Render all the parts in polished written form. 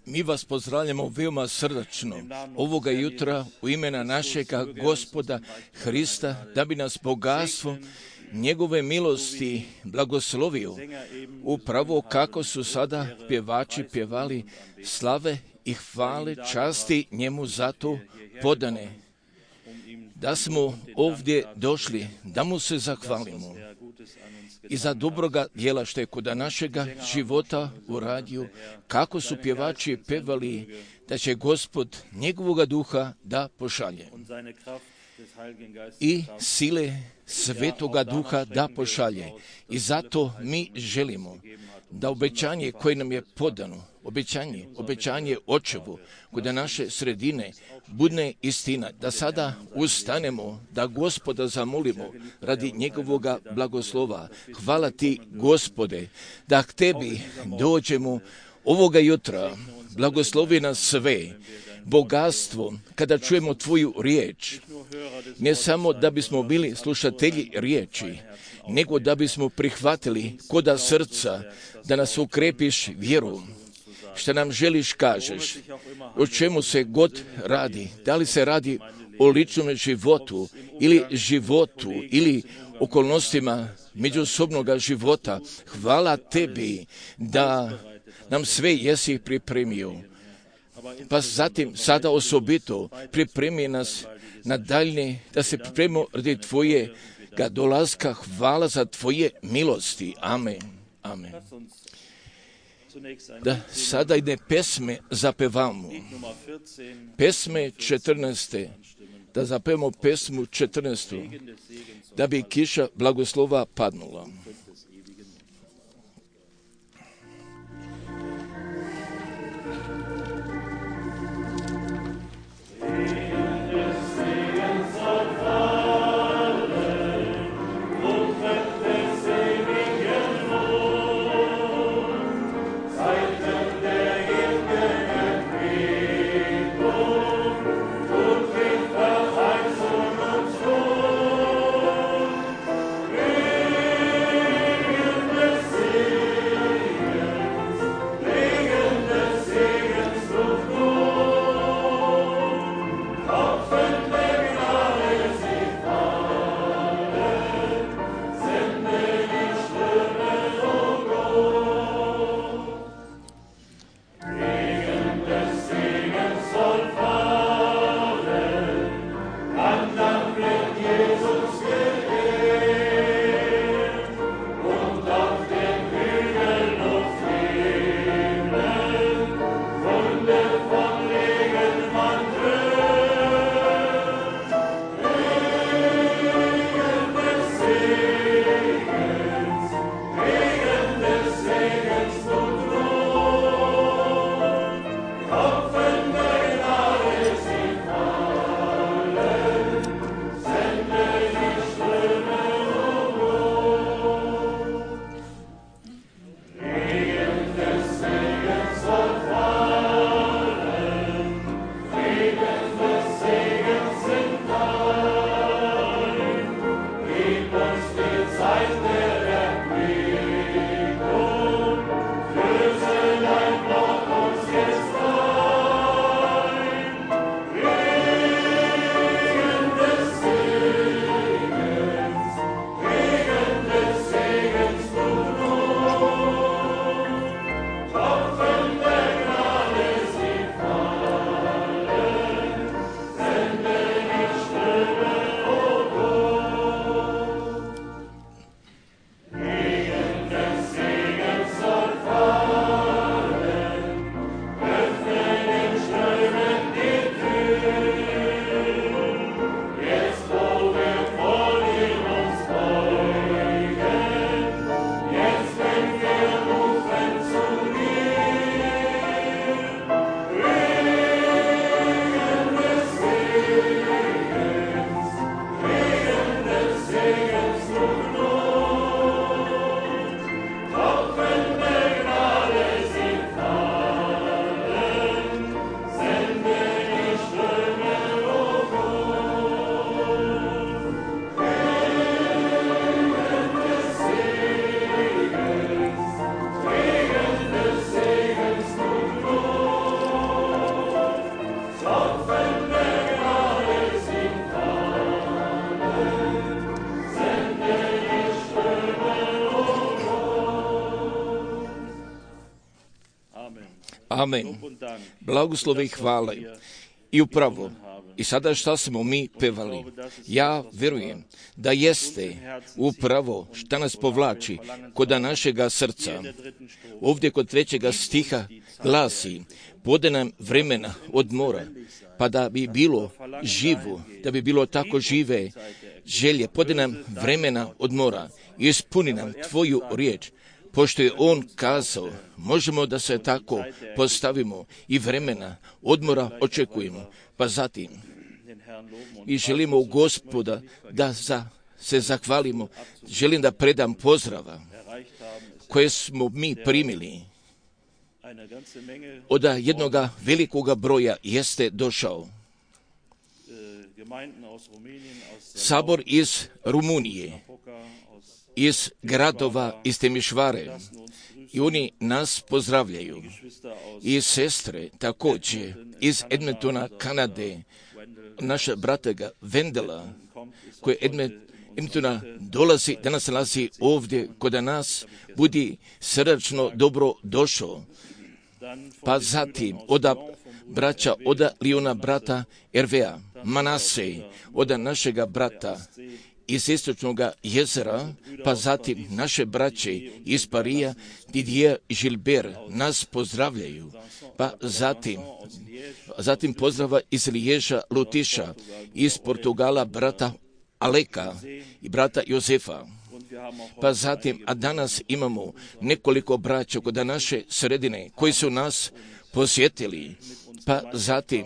Mi vas pozdravljamo veoma srdačno ovoga jutra u imena našega Gospoda Hrista, da bi nas bogatstvo njegove milosti blagoslovio, upravo kako su sada pjevači pjevali slave i hvale, časti njemu zato podane. Da smo ovdje došli, da mu se zahvalimo i za dobroga djela što je kod našega života uradio, kako su pjevači pevali da će Gospod njegovoga duha da pošalje i sile Svetoga Duha da pošalje. I zato mi želimo da obećanje koje nam je podano, obećanje Očevu kod naše sredine bude istina, da sada ustanemo, da Gospoda zamolimo radi njegovoga blagoslova. Hvala ti, Gospode, da k tebi dođemo ovoga jutra. Blagoslovi nas sve, bogatstvo, kada čujemo tvoju riječ, ne samo da bismo bili slušatelji riječi, nego da bismo prihvatili koda srca, da nas ukrepiš vjeru, što nam želiš kažeš, o čemu se god radi, da li se radi o ličnom životu ili okolnostima međusobnog života. Hvala tebi da nam sve jesi pripremio. Pa zatim sada osobito pripremi nas na daljnje, da se pripremimo radi tvojega dolaska. Hvala za tvoje milosti. Amen. Amen. Da sada ide pesme zapevamo. Pesme 14. Da zapevamo pesmu 14. Da bi kiša blagoslova padnula. Verheißung uns wohl. Amen. Blagoslove i hvale. I upravo, i sada šta smo mi pevali, ja vjerujem da jeste upravo šta nas povlači kod našega srca. Ovdje kod 3. stiha glasi, pode nam vremena odmora, pa da bi bilo živo, da bi bilo tako žive želje, pode nam vremena odmora, ispuni nam tvoju riječ. Pošto je on kazao, možemo da se tako postavimo i vremena odmora očekujemo. Pa zatim i želimo u Gospoda da se zahvalimo. Želim da predam pozdrava koje smo mi primili. Od jednoga velikoga broja jeste došao sabor iz Rumunije, iz gradova, iz Temišvare, i oni nas pozdravljaju. I sestre također iz Edmontona, Kanade, naša bratega Vendela, koji Edmontona dolazi, danas nalazi ovdje kod nas, budi srdačno dobro došao. Pa zatim od braća, od Liona brata Ervea, Manase, od našega brata iz istočnog jezera, pa zatim naše braće iz Parija, Didier i Gilbert nas pozdravljaju, pa zatim pozdrava iz Liježa, Lutiša, iz Portugala brata Aleka i brata Jozefa. Pa zatim, a danas imamo nekoliko braća kod naše sredine koji su nas posjetili, pa zatim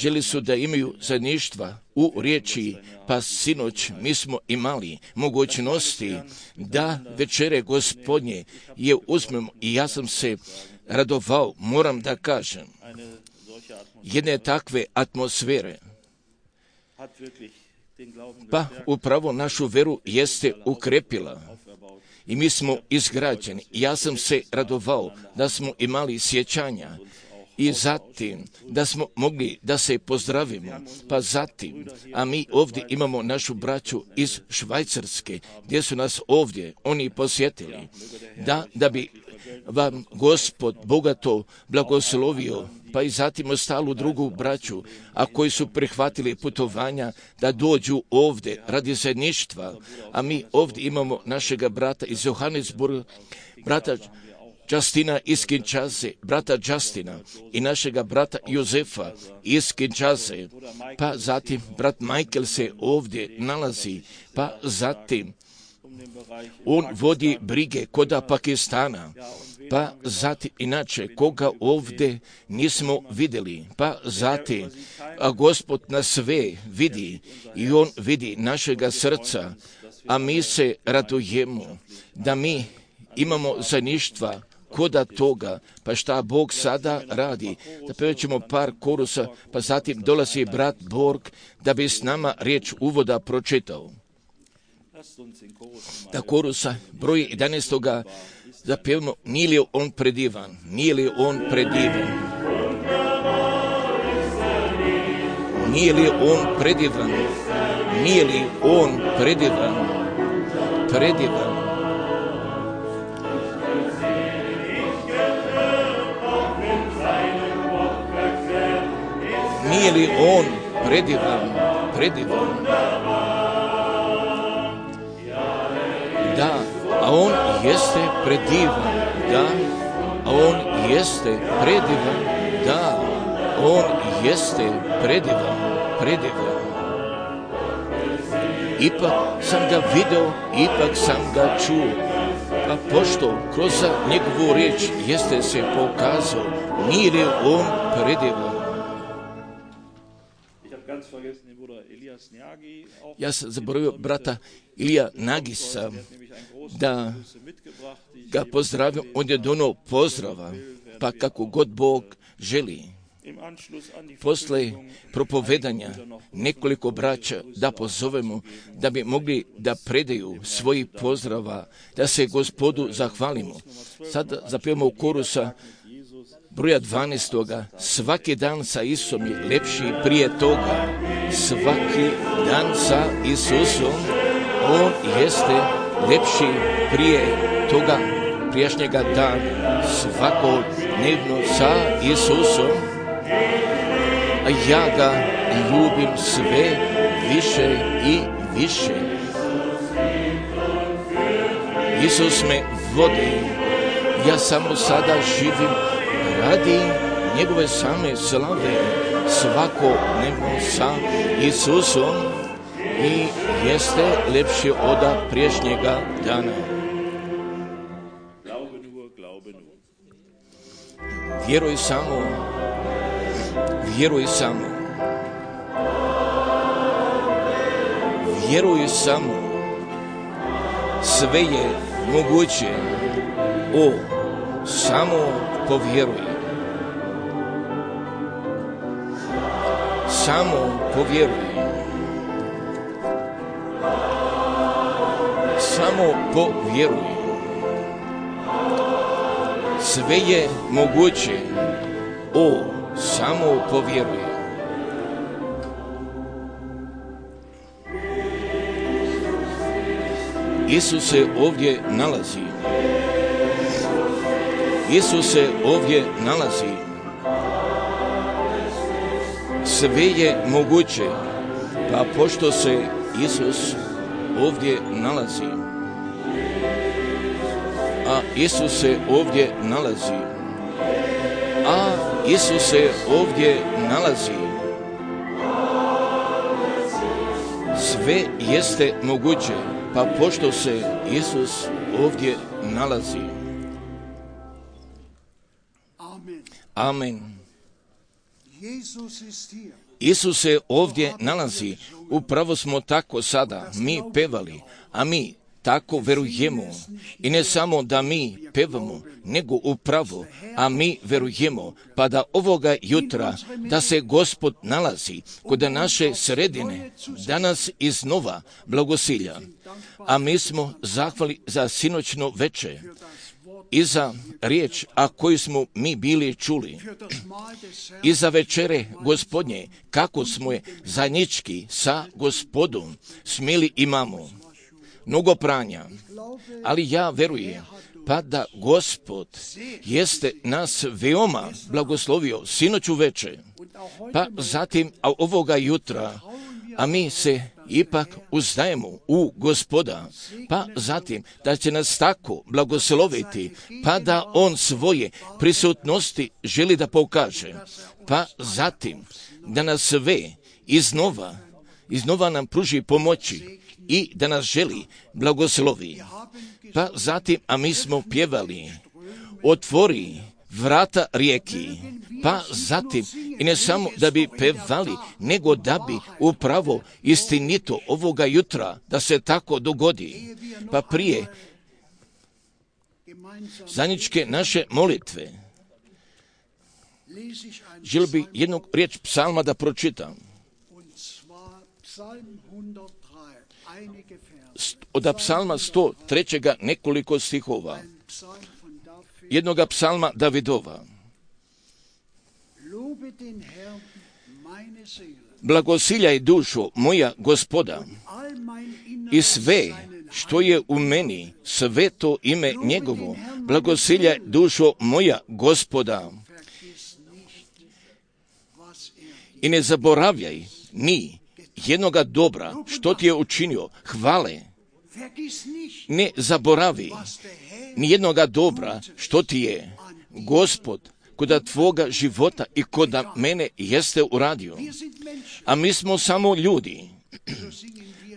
želi su da imaju zajedništva u riječi, pa sinoć mi smo imali mogućnosti da večere Gospodnje je uzmemo i ja sam se radovao, moram da kažem, jedne takve atmosfere. Pa upravo našu veru jeste ukrepila i mi smo izgrađeni. Ja sam se radovao da smo imali sjećanja i zatim da smo mogli da se pozdravimo, pa zatim, a mi ovdje imamo našu braću iz Švajcarske, gdje su nas ovdje oni posjetili, da bi vam Gospod bogato blagoslovio, pa i zatim ostalu drugu braću, a koji su prihvatili putovanja da dođu ovdje radi zajedništva, a mi ovdje imamo našega brata iz Johannesburga, brata Justina iz Kinshase, brata Justina i našega brata Jozefa iz Kinshase, pa zatim brat Michael se ovdje nalazi, pa zatim on vodi brige koda Pakistana, pa zatim inače koga ovdje nismo vidjeli, pa zatim a Gospod nas sve vidi i on vidi našega srca, a mi se radujemo da mi imamo zajedništva koda toga, pa šta Bog sada radi. Da pevaćemo par korusa, pa zatim dolazi brat Borg da bi s nama riječ uvoda pročitao. Da korusa broj 11. zapevamo, nije li on predivan, nije li on predivan, nije li on predivan, nije li on predivan, predivan. Nije li on predivan, predivan? Da, a on jeste predivan, da, a on jeste predivan, da, on jeste predivan, predivan. Ipak sam ga video, ipak sam ga čuo, pa pošto kroz njegovu riječ jeste se pokazao, nije li on predivan? Ja sam zaboravio brata Ilija Nagisa da ga pozdravim, on je donio pozdrava, pa kako god Bog želi. Posle propovedanja nekoliko braća da pozovemo da bi mogli da predaju svoji pozdrava, da se Gospodu zahvalimo. Sad zapevamo u korusa broja 12. Svaki dan sa Isusom je lepši prije toga. Svaki dan sa Isusom, on jeste lepši prije toga. prijašnjega dana, svakodnevno sa Isusom, a ja ga ljubim sve više i više. Isus me vodi, ja samo sada živim radi njegove same slave, svakodnevno sa Isusom i jeste lepše od prijašnjega dana. Vjeruj samo, vjeruj samo, vjeruj samo, sve je moguće, o, samo povjeruj. Samo povjeruj. Samo povjeruj. Sve je moguće, o, samo povjeruj. Isus se ovdje nalazi. Isus se ovdje nalazi. Sve je moguće, pa pošto se Isus ovdje nalazi, a Isus se ovdje nalazi, a Isus se ovdje nalazi, sve jeste moguće, pa pošto se Isus ovdje nalazi. Amen. Isus se ovdje nalazi, upravo smo tako sada mi pevali, a mi tako verujemo. I ne samo da mi pevamo, nego upravo, a mi verujemo, pa da ovoga jutra, da se Gospod nalazi kod naše sredine, danas iznova blagosilja. A mi smo zahvali za sinoćno veče i za riječ, a koju smo mi bili čuli, i za večere Gospodnje, kako smo je zajednički sa Gospodom smjeli imamo. Mnogo pranja, ali ja verujem, pa da Gospod jeste nas veoma blagoslovio sinoću veče, pa zatim ovoga jutra, a mi se ipak uzdajemo u Gospoda, pa zatim da će nas tako blagosloviti, pa da On svoje prisutnosti želi da pokaže, pa zatim da nas sve iznova nam pruži pomoći i da nas želi blagoslovi. Pa zatim, a mi smo pjevali, otvori vrata rijeki, pa zatim, i ne samo da bi pevali, nego da bi upravo istinito ovoga jutra, da se tako dogodi. Pa prije zajedničke naše molitve, želio bi jednu riječ psalma da pročitam. Od psalma 103. nekoliko stihova. Jednoga psalma Davidova. Blagosiljaj dušo moja Gospoda i sve što je u meni, sveto ime njegovo. Blagosiljaj dušo moja Gospoda i ne zaboravljaj ni jednoga dobra što ti je učinio, hvale. Ne zaboravi ni jednoga dobra što ti je Gospod koda tvoga života i koda mene jeste uradio. A mi smo samo ljudi,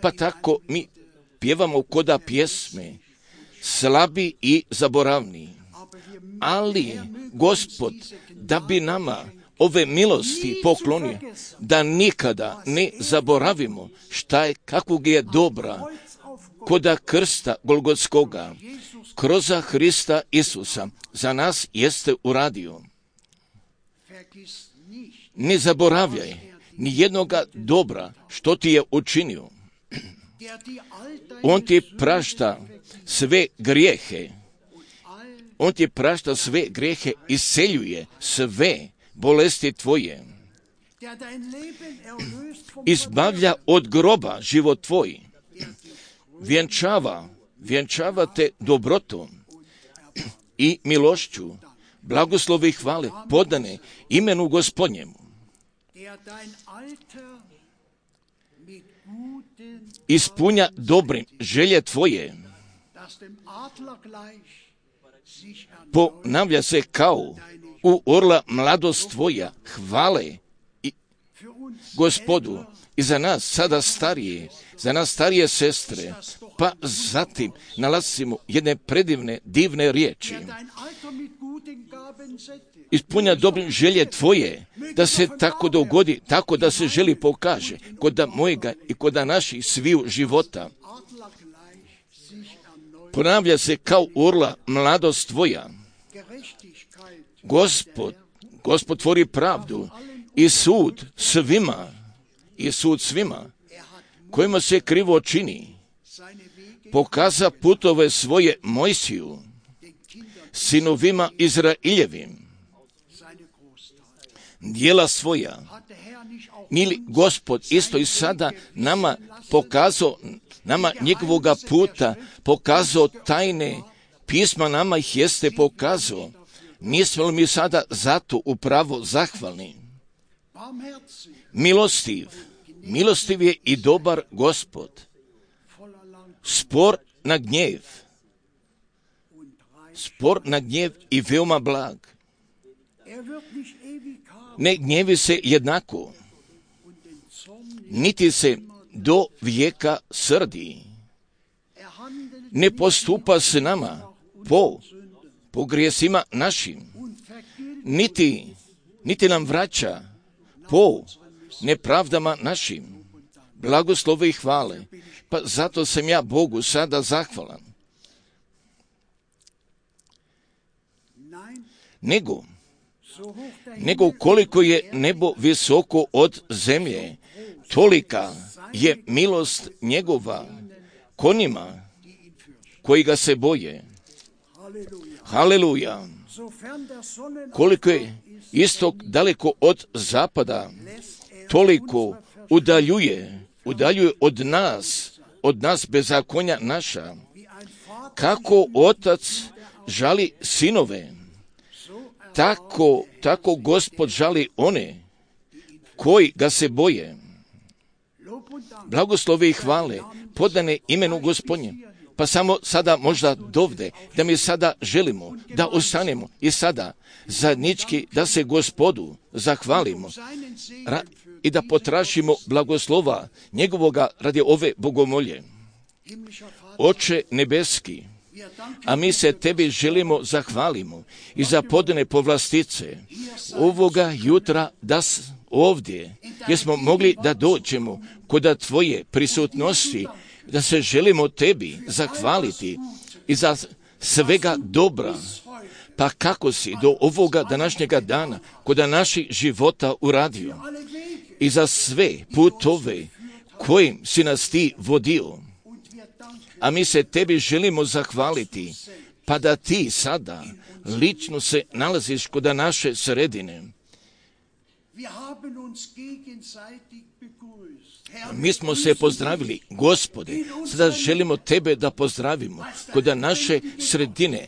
pa tako mi pjevamo koda pjesme, slabi i zaboravni. Ali Gospod, da bi nama ove milosti poklonio, da nikada ne zaboravimo šta je, kakvog je dobra koda krsta Golgotskoga, kroz Hrista Isusa, za nas jeste uradio. Ne zaboravljaj ni jednoga dobra što ti je učinio. On ti prašta sve grijehe. On ti prašta sve grijehe, isceljuje sve bolesti tvoje. Izbavlja od groba život tvoj. Vjenčava te dobrotom. i milošću, blagoslovi i hvale podane imenu Gospodnjemu. Ispunja dobrim želje tvoje, ponavlja se kao u orla mladost tvoja, hvale i Gospodu i za nas sada starije, za nas starije sestre, pa zatim nalazimo jedne predivne, divne riječi. Ispunja dobrim želje tvoje, da se tako dogodi, tako da se želi pokaže kod mojega i kod naših sviju života. Ponavlja se kao orla mladost tvoja. Gospod tvori pravdu i sud svima kojima se krivo čini. Pokaza putove svoje Mojsiju, sinovima Izraeljevim, djela svoja. Ili Gospod isto i sada nama pokazao, nama njegovoga puta, pokazao tajne pisma, nama ih jeste pokazao. Nismo li mi sada zato upravo zahvalni? Milostiv je i dobar Gospod, spor na gnjev i veoma blag. Ne gnjevi se jednako, niti se do vijeka srdi. Ne postupa s nama po grijesima našim, niti nam vraća po nepravdama našim. Blagoslove i hvale, pa zato sam ja Bogu sada zahvalan. Nego koliko je nebo visoko od zemlje, tolika je milost njegova konima koji ga se boje. Haleluja! Koliko je istok daleko od zapada, toliko udaljuje od nas bezakonja naša. Kako otac žali sinove, tako Gospod žali one koji ga se boje. Blagoslove i hvale podane imenu Gospodnje. Pa samo sada možda dovde, da mi sada želimo da ostanemo i sada zajednički da se Gospodu zahvalimo i da potražimo blagoslova njegovoga radi ove bogomolje. Oče nebeski, a mi se tebi želimo zahvalimo i za podane povlastice ovoga jutra da ovdje gdje smo mogli da dođemo kod tvoje prisutnosti, da se želimo tebi zahvaliti i za svega dobra, pa kako si do ovoga današnjega dana kod naših života uradio i za sve putove kojim si nas ti vodio. A mi se tebi želimo zahvaliti, pa da ti sada lično se nalaziš kod naše sredine. Mi smo se pozdravili, Gospode, sada želimo tebe da pozdravimo kod naše sredine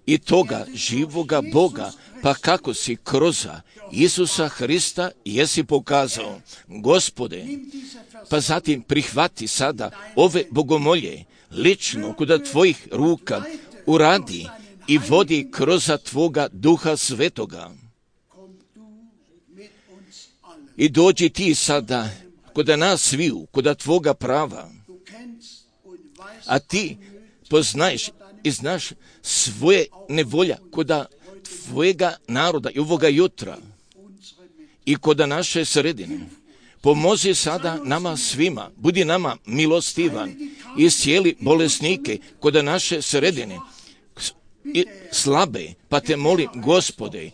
i toga živoga Boga, pa kako si kroz Isusa Hrista jesi pokazao, Gospode, pa zatim prihvati sada ove bogomolje, lično kod tvojih ruka uradi i vodi kroz tvoga Duha Svetoga. I dođi ti sada kod nas sviju, kod tvoga prava, a ti poznaješ i znaš svoje nevolja kod tvojega naroda i ovoga jutra i kod naše sredine. Pomozi sada nama svima, budi nama milostivan i iscijeli bolesnike kod naše sredine i slabe, pa te molim, Gospode,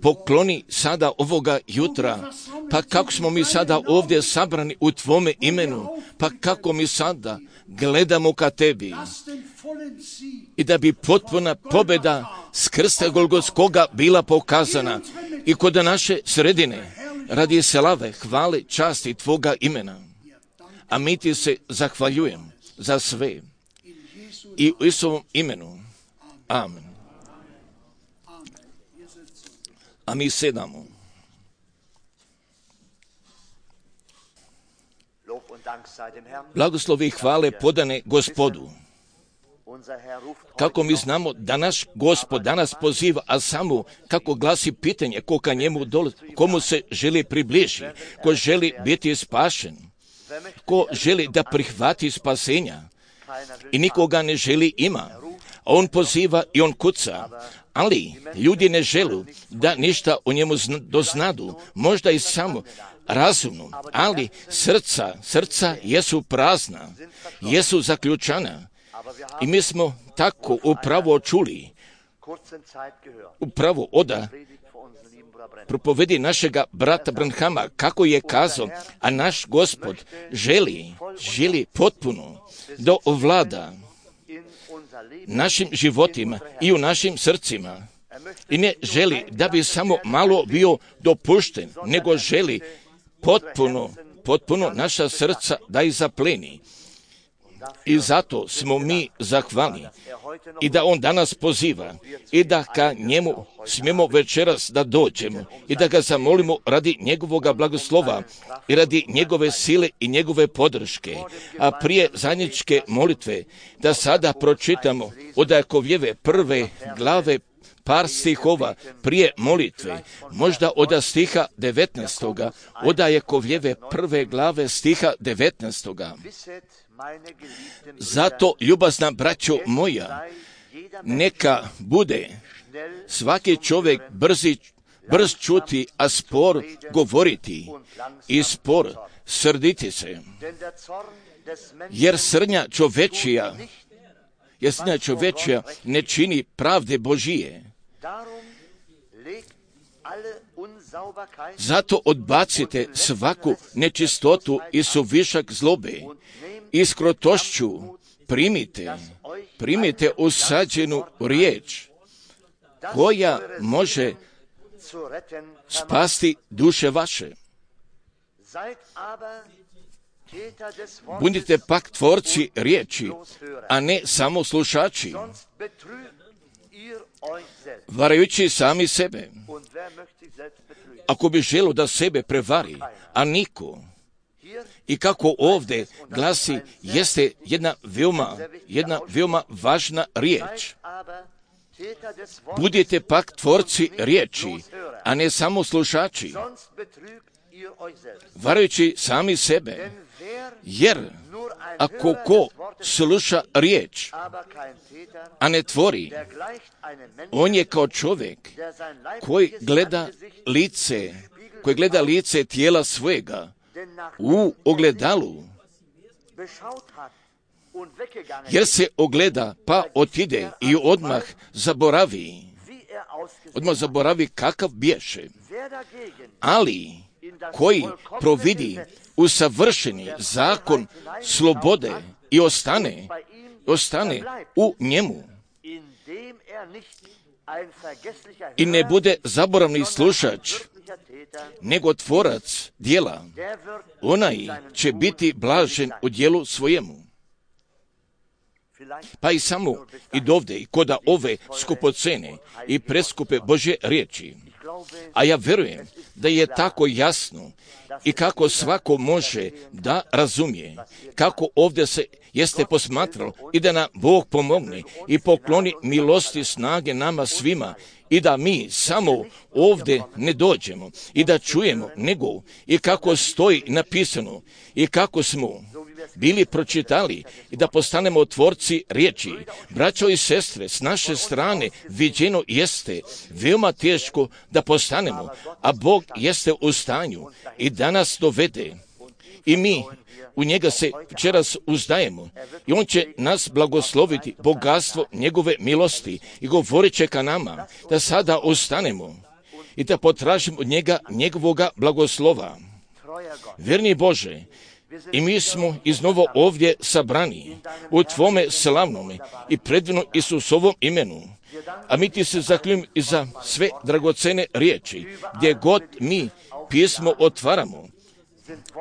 pokloni sada ovoga jutra, pa kako smo mi sada ovdje sabrani u tvome imenu, pa kako mi sada gledamo ka tebi i da bi potpuna pobjeda s krsta Golgotskoga bila pokazana i kod naše sredine radi slave, hvale, časti tvoga imena. A mi ti se zahvaljujem za sve i u Isusovom imenu. Amen. A mi sedamo. Blagoslovi i hvale podane Gospodu. Kako mi znamo da naš Gospod danas poziva, a samo kako glasi pitanje koga njemu dolazi, komu se želi približiti, ko želi biti spašen, ko želi da prihvati spasenja i nikoga ne želi ima. On poziva i on kuca, ali ljudi ne žele da ništa o njemu doznadu, možda i samo razumno, ali srca jesu prazna, jesu zaključana. I mi smo tako upravo čuli, upravo oda propovedi našega brata Branhama, kako je kazao, a naš Gospod želi potpuno da ovlada našim životima i u našim srcima. I ne želi da bi samo malo bio dopušten, nego želi potpuno naša srca da ih zapleni. I zato smo mi zahvalni i da on danas poziva i da ka njemu smijemo večeras da dođemo i da ga zamolimo radi njegovog blagoslova i radi njegove sile i njegove podrške. A prije zajedničke molitve da sada pročitamo od Jakovljeve prve glave par stihova prije molitve, možda od stiha 19. od Jakovljeve prve glave stiha 19. Zato, ljubazna braćo moja, neka bude svaki čovjek brz čuti, a spor govoriti i spor srditi se. Jer srnja čovečija ne čini pravde Božije. Zato odbacite svaku nečistotu i suvišak zlobe i s krotošću primite usađenu riječ koja može spasti duše vaše. Budite pak tvorci riječi, a ne samo slušači, varajući sami sebe. Ako bi želio da sebe prevari, a niko. I kako ovdje glasi, jeste jedna veoma važna riječ. Budite pak tvorci riječi, a ne samo slušači, varajući sami sebe. Jer ako ko sluša riječ, a ne tvori, on je kao čovjek koji gleda lice tijela svojega u ogledalu, jer se ogleda pa otide i odmah zaboravi kakav bješe. Ali koji providi usavršeni zakon slobode i ostane u njemu i ne bude zaboravni slušač, nego tvorac djela, onaj će biti blažen u djelu svojemu. Pa i samo i dovde i koda ove skupocene i preskupe Božje riječi. A ja vjerujem da je tako jasno i kako svako može da razumije, kako ovdje se jeste posmatralo i da nam Bog pomogne i pokloni milosti snage nama svima i da mi samo ovdje ne dođemo i da čujemo, nego i kako stoji napisano i kako smo bili pročitali i da postanemo tvorci riječi. Braćo i sestre, s naše strane viđeno jeste veoma teško da postanemo, a Bog jeste u stanju i da nas dovede. I mi u njega se večeras uzdajemo i on će nas blagosloviti bogatstvo njegove milosti i govorit će ka nama da sada ustanemo i da potražimo od njega njegovoga blagoslova. Vjerni Bože, i mi smo iznovo ovdje sabrani u Tvome slavnome i predivnom Isusovom imenu. A mi ti se zahvaljujemo i za sve dragocene riječi, gdje god mi pismo otvaramo,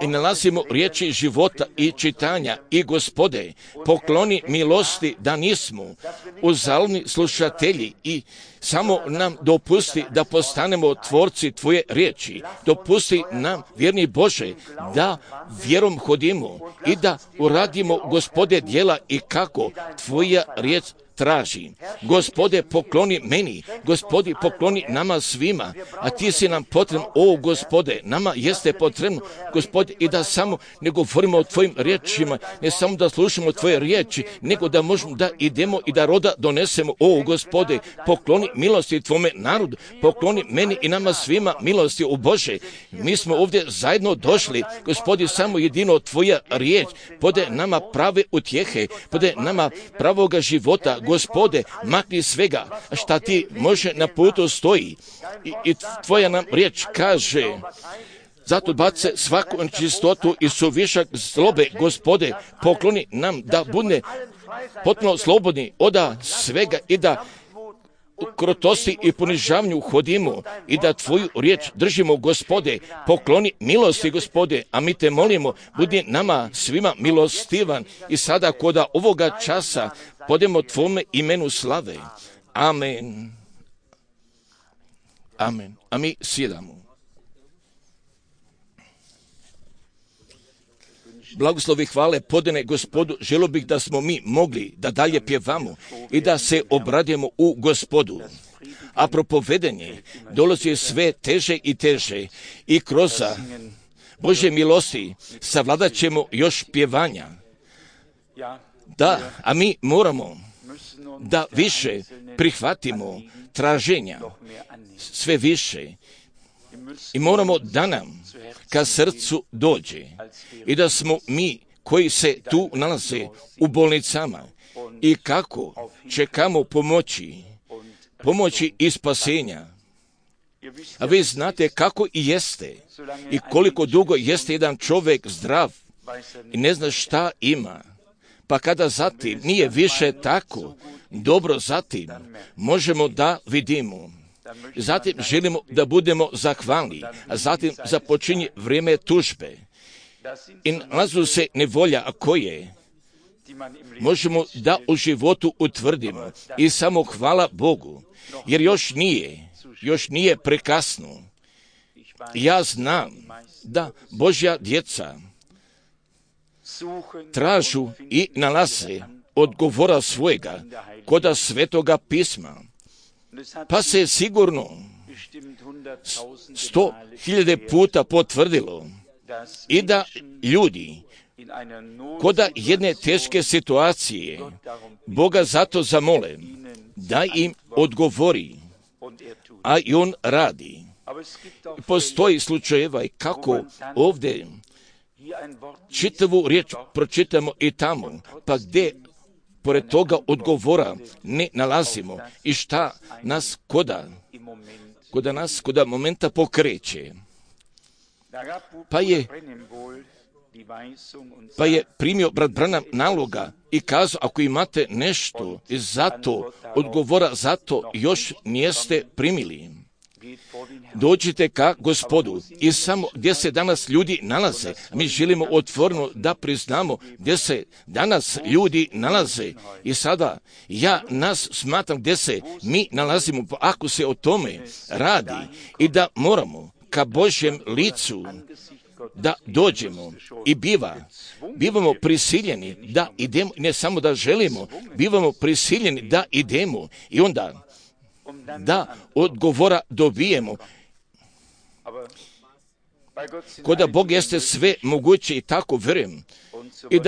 i nalazimo riječi života i čitanja i Gospode, pokloni milosti da nismo uzaludni slušatelji i samo nam dopusti da postanemo tvorci Tvoje riječi. Dopusti nam, vjerni Bože, da vjerom hodimo i da uradimo, Gospode, djela i kako Tvoja riječ traži. Gospode, pokloni meni, Gospodi, pokloni nama svima, a Ti si nam potreban, o Gospode, nama jeste potrebno, Gospode, i da samo ne govorimo o Tvojim riječima, ne samo da slušamo Tvoje riječi, nego da možemo da idemo i da roda donesemo, o Gospode, pokloni milosti Tvome narodu, pokloni meni i nama svima milosti, o Bože. Mi smo ovdje zajedno došli, Gospodi, samo jedino Tvoja riječ pode nama prave utjehe, pode nama pravoga života. Gospode, makni svega šta Ti može na putu stoji i Tvoja nam riječ kaže, zato bace svaku nečistotu i suvišak zlobe, Gospode, pokloni nam da bude potpuno slobodni od svega i da u krotosti i ponižavanju hodimo i da Tvoju riječ držimo, Gospode, pokloni milosti, Gospode, a mi Te molimo, budi nama svima milostivan i sada koda ovoga časa podemo Tvome imenu slave. Amen. Amen. A mi sjedamo. Blagoslovi hvale podane Gospodu, želio bih da smo mi mogli da dalje pjevamo i da se obradimo u Gospodu. A propovedanje dolazi sve teže i teže i kroz Božje milosti savladat ćemo još pjevanja. Da, a mi moramo da više prihvatimo traženja, sve više. I moramo da nam ka srcu dođe i da smo mi koji se tu nalaze u bolnicama i kako čekamo pomoći i spasenja. A vi znate kako i jeste i koliko dugo jeste jedan čovjek zdrav i ne zna šta ima. Pa kada zatim nije više tako dobro, zatim možemo da vidimo. Zatim želimo da budemo zahvalni, a zatim započinje vrijeme tužbe. I nalazu se nevolja, a koje možemo da u životu utvrdimo. I samo hvala Bogu, jer još nije prekasno. Ja znam da Božja djeca tražu i nalaze odgovora svojega koda Svetoga pisma. Pa se sigurno 100.000 puta potvrdilo i da ljudi koda jedne teške situacije Boga zato zamole da im odgovori, a i On radi. Postoji slučajeva i kako ovdje čitavu riječ pročitamo i tamo, pa gdje pored toga odgovora ne nalazimo i šta nas koda momenta pokreće. Pa je primio brat Branham naloga i kazao, ako imate nešto zato odgovora, zato još niste primili. Dođite ka Gospodu i samo gdje se danas ljudi nalaze, mi želimo otvoreno da priznamo gdje se danas ljudi nalaze i sada ja nas smatram gdje se mi nalazimo, ako se o tome radi i da moramo ka Božjem licu da dođemo i bivamo prisiljeni da idemo, ne samo da želimo, bivamo prisiljeni da idemo i onda da odgovora dobijemo. Koda Bog jeste sve moguće i tako vjerujem i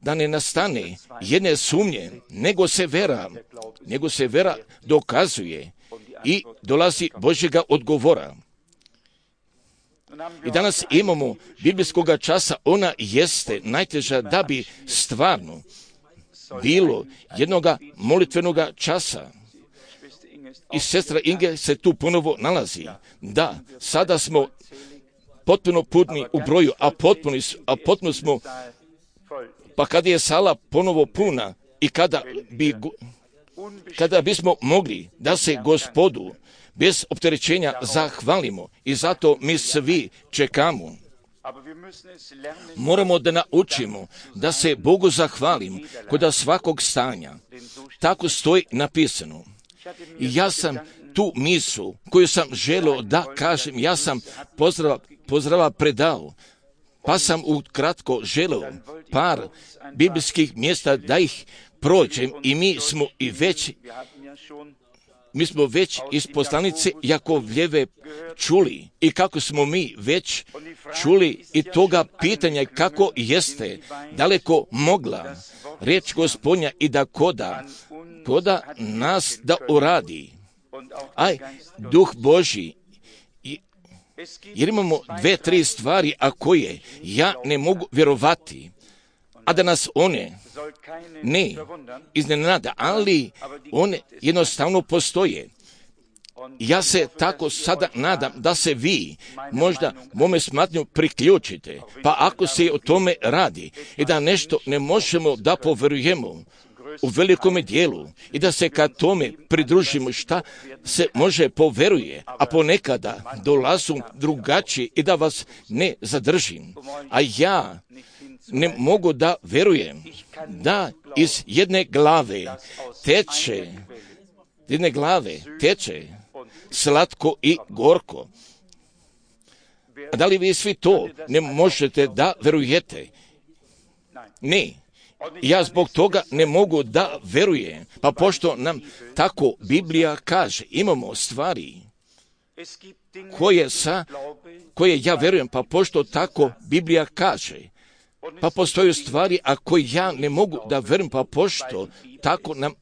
da ne nastane jedne sumnje, nego se vera dokazuje i dolazi Božjega odgovora. I danas imamo biblijskoga časa, ona jeste najteža da bi stvarno bilo jednoga molitvenoga časa. I sestra Inge se tu ponovo nalazi. Da, sada smo potpuno puni u broju, a potpuno smo, pa kada je sala ponovo puna i kada bi kada bismo mogli da se Gospodu bez opterećenja zahvalimo i zato mi svi čekamo. Moramo da naučimo da se Bogu zahvalimo kod svakog stanja. Tako stoji napisano. I ja sam tu mislu koju sam želio da kažem, ja sam pozdrava predao, pa sam ukratko želio par biblijskih mjesta da ih prođem i mi smo već iz poslanice Jakovljeve čuli i kako smo mi već čuli i toga pitanja kako jeste daleko mogla riječ Gospodnja i da koda nas da uradi. Aj, Duh Božji, jer imamo 2-3 stvari, a koje ja ne mogu vjerovati, a da nas one ne iznenada, ali one jednostavno postoje. Ja se tako sada nadam da se vi možda mome smatnju priključite, pa ako se o tome radi i da nešto ne možemo da poverujemo u velikome dijelu i da se kad tome pridružimo šta se može poveruje, a ponekada dolazu drugačije i da vas ne zadržim. A ja ne mogu da verujem da iz jedne glave teče slatko i gorko. A da li vi svi to ne možete da verujete? Ne. Ja zbog toga ne mogu da verujem. Pa pošto nam tako Biblija kaže, imamo stvari koje ja verujem, pa pošto tako Biblija kaže, pa postoje stvari, a koje ja ne mogu da verujem, pa pošto tako nam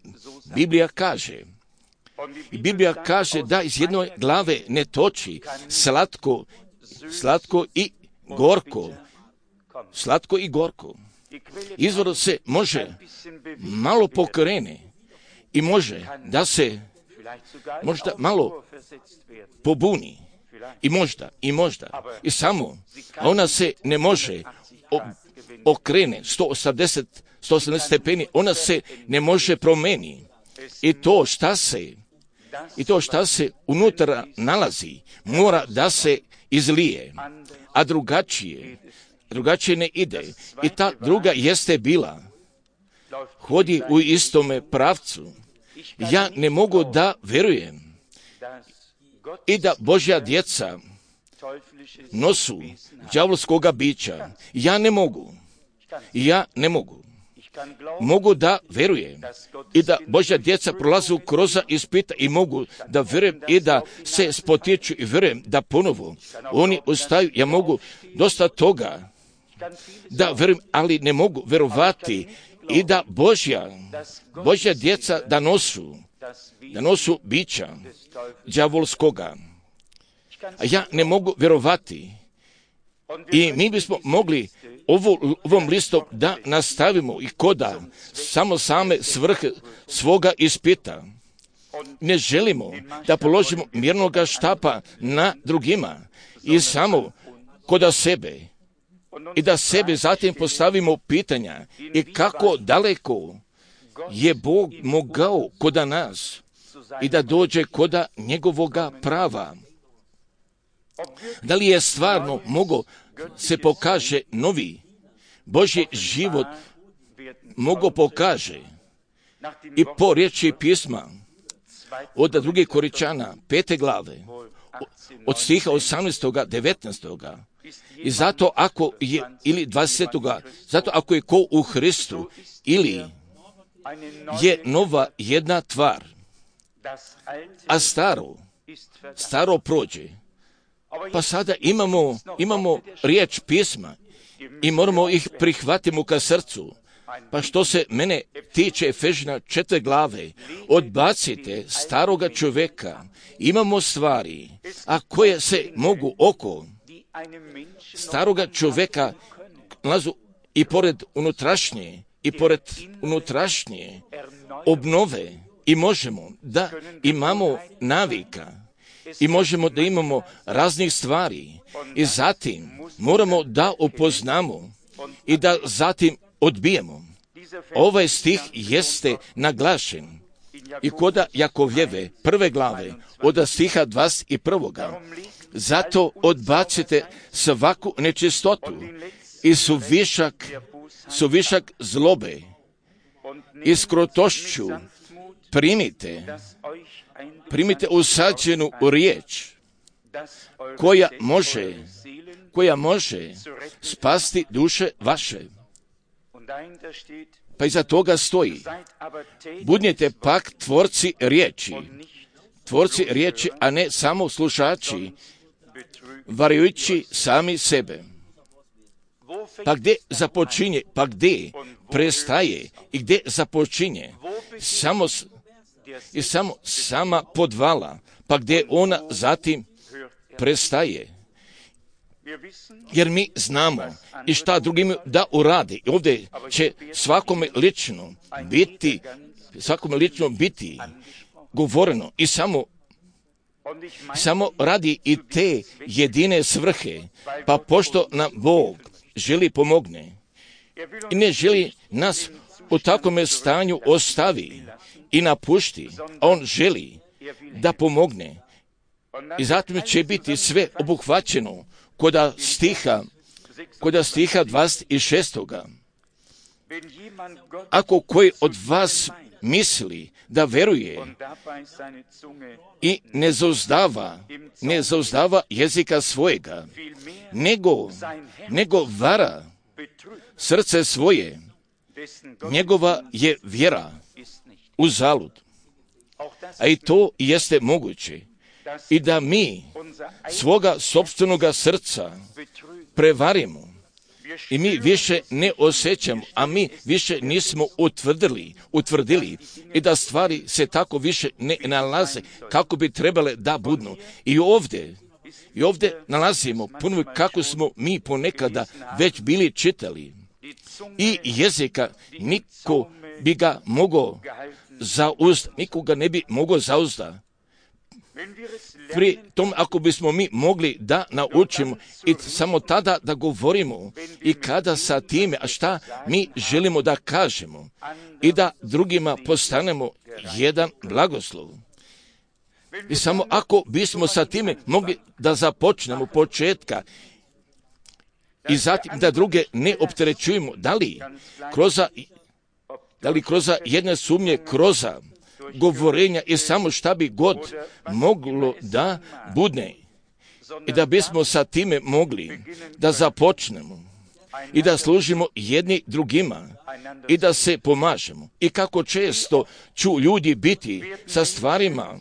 Biblija kaže. I Biblija kaže da iz jedne glave ne toči slatko i gorko. Slatko i gorko. Izvor se može malo pokrene i može da se možda malo pobuni i možda i samo, a ona se ne može okrene 180 stepeni, ona se ne može promeni i to šta se unutra nalazi mora da se izlije, a drugačije ne ide. I ta druga jeste bila, hodi u istome pravcu. Ja ne mogu da verujem i da Božja djeca nosu đavolskoga bića. Ja ne mogu. Mogu da verujem i da Božja djeca prolazu kroz ispita i mogu da verujem i da se spotiču i verujem da ponovo oni ostaju. Ja mogu dosta toga da verujem, ali ne mogu verovati i da Božja djeca da nosu bića đavolskoga. A ja ne mogu verovati. I mi bismo mogli ovom listom da nastavimo i koda same svrhe svoga ispita. Ne želimo da položimo mjernoga štapa na drugima i samo koda sebe. I da sebe zatim postavimo pitanja i kako daleko je Bog mogao koda nas i da dođe koda njegovoga prava. Da li je stvarno mogao se pokaže novi Božji život mogao pokaže i po riječi pisma od 2. Korinčana 5. glave od stiha 18. 19. I zato ako je, ili 20. zato ako je ko u Hristu, ili je nova jedna tvar, a staro prođe. Pa sada imamo riječ pisma i moramo ih prihvatiti ka srcu. Pa što se mene tiče Efežina 4. glave, odbacite staroga čovjeka. Imamo stvari, a koje se mogu oko staroga čovjeka nalazu i pored unutrašnje obnove i možemo da imamo navika i možemo da imamo raznih stvari i zatim moramo da upoznamo i da zatim odbijemo. Ovaj stih jeste naglašen i koda Jakovljeve prve glave od stiha 21. Zato odbacite svaku nečistotu i suvišak zlobe i s krotošću primite usađenu riječ koja može spasti duše vaše. Pa iza toga stoji: budnite pak tvorci riječi, a ne samo slušači, varujući sami sebe. Pa gdje započinje, pa gdje prestaje i gdje započinje? Sama podvala, pa gdje ona zatim prestaje. Jer mi znamo i šta drugim da uradi. I ovdje će svakome lično biti govoreno i samo radi i te jedine svrhe. Pa pošto nam Bog želi pomogne i ne želi nas u takvome stanju ostavi i napušti, a On želi da pomogne. I zatim će biti sve obuhvaćeno koda stiha 26. Ako koji od vas misli da veruje i ne zauzdava jezika svojega, nego vara srce svoje, njegova je vjera uzalud. A i to jeste moguće. I da mi svoga sopstvenoga srca prevarimo i mi više ne osjećamo, a mi više nismo utvrdili i da stvari se tako više ne nalaze kako bi trebale da budnu. I ovdje nalazimo puno kako smo mi ponekada već bili čitali. I jezika niko bi ga mogao nikoga ne bi mogao zauzdati. Pri tom, ako bismo mi mogli da naučimo i samo tada da govorimo i kada sa time, a šta mi želimo da kažemo i da drugima postanemo jedan blagoslov. I samo ako bismo sa time mogli da započnemo početka i zatim da druge ne opterećujemo, da li kroz jedne sumnje, kroz govorenja i samo šta bi god moglo da budne i da bismo sa time mogli da započnemo i da služimo jedni drugima i da se pomažemo. I kako često ću ljudi biti sa stvarima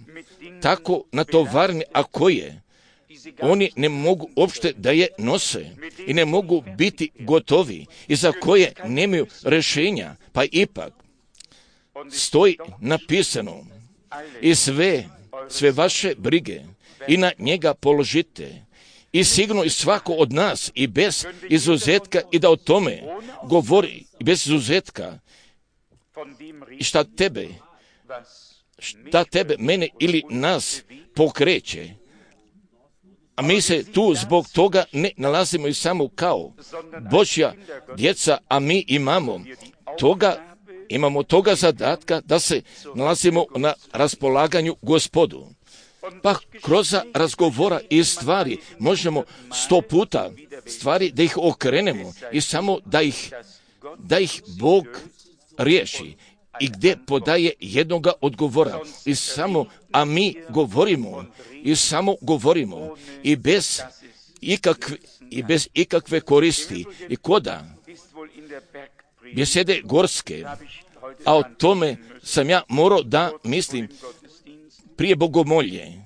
tako natovarni, a koje oni ne mogu uopšte da je nose i ne mogu biti gotovi i za koje nemaju rješenja, pa ipak stoji napisano: i sve vaše brige i na njega položite. I sigurno i svako od nas i bez izuzetka i da o tome govori bez izuzetka. I šta tebe, mene ili nas pokreće. A mi se tu zbog toga ne nalazimo i samo kao Božja djeca, a mi imamo toga zadatka da se nalazimo na raspolaganju Gospodu. Pa kroz razgovora i stvari možemo 100 puta stvari da ih okrenemo i samo da ih Bog riješi i gdje podaje jednoga odgovora. A mi govorimo i bez ikakve koristi i koda besede gorske, a o tome sam ja morao da mislim prije bogomolje.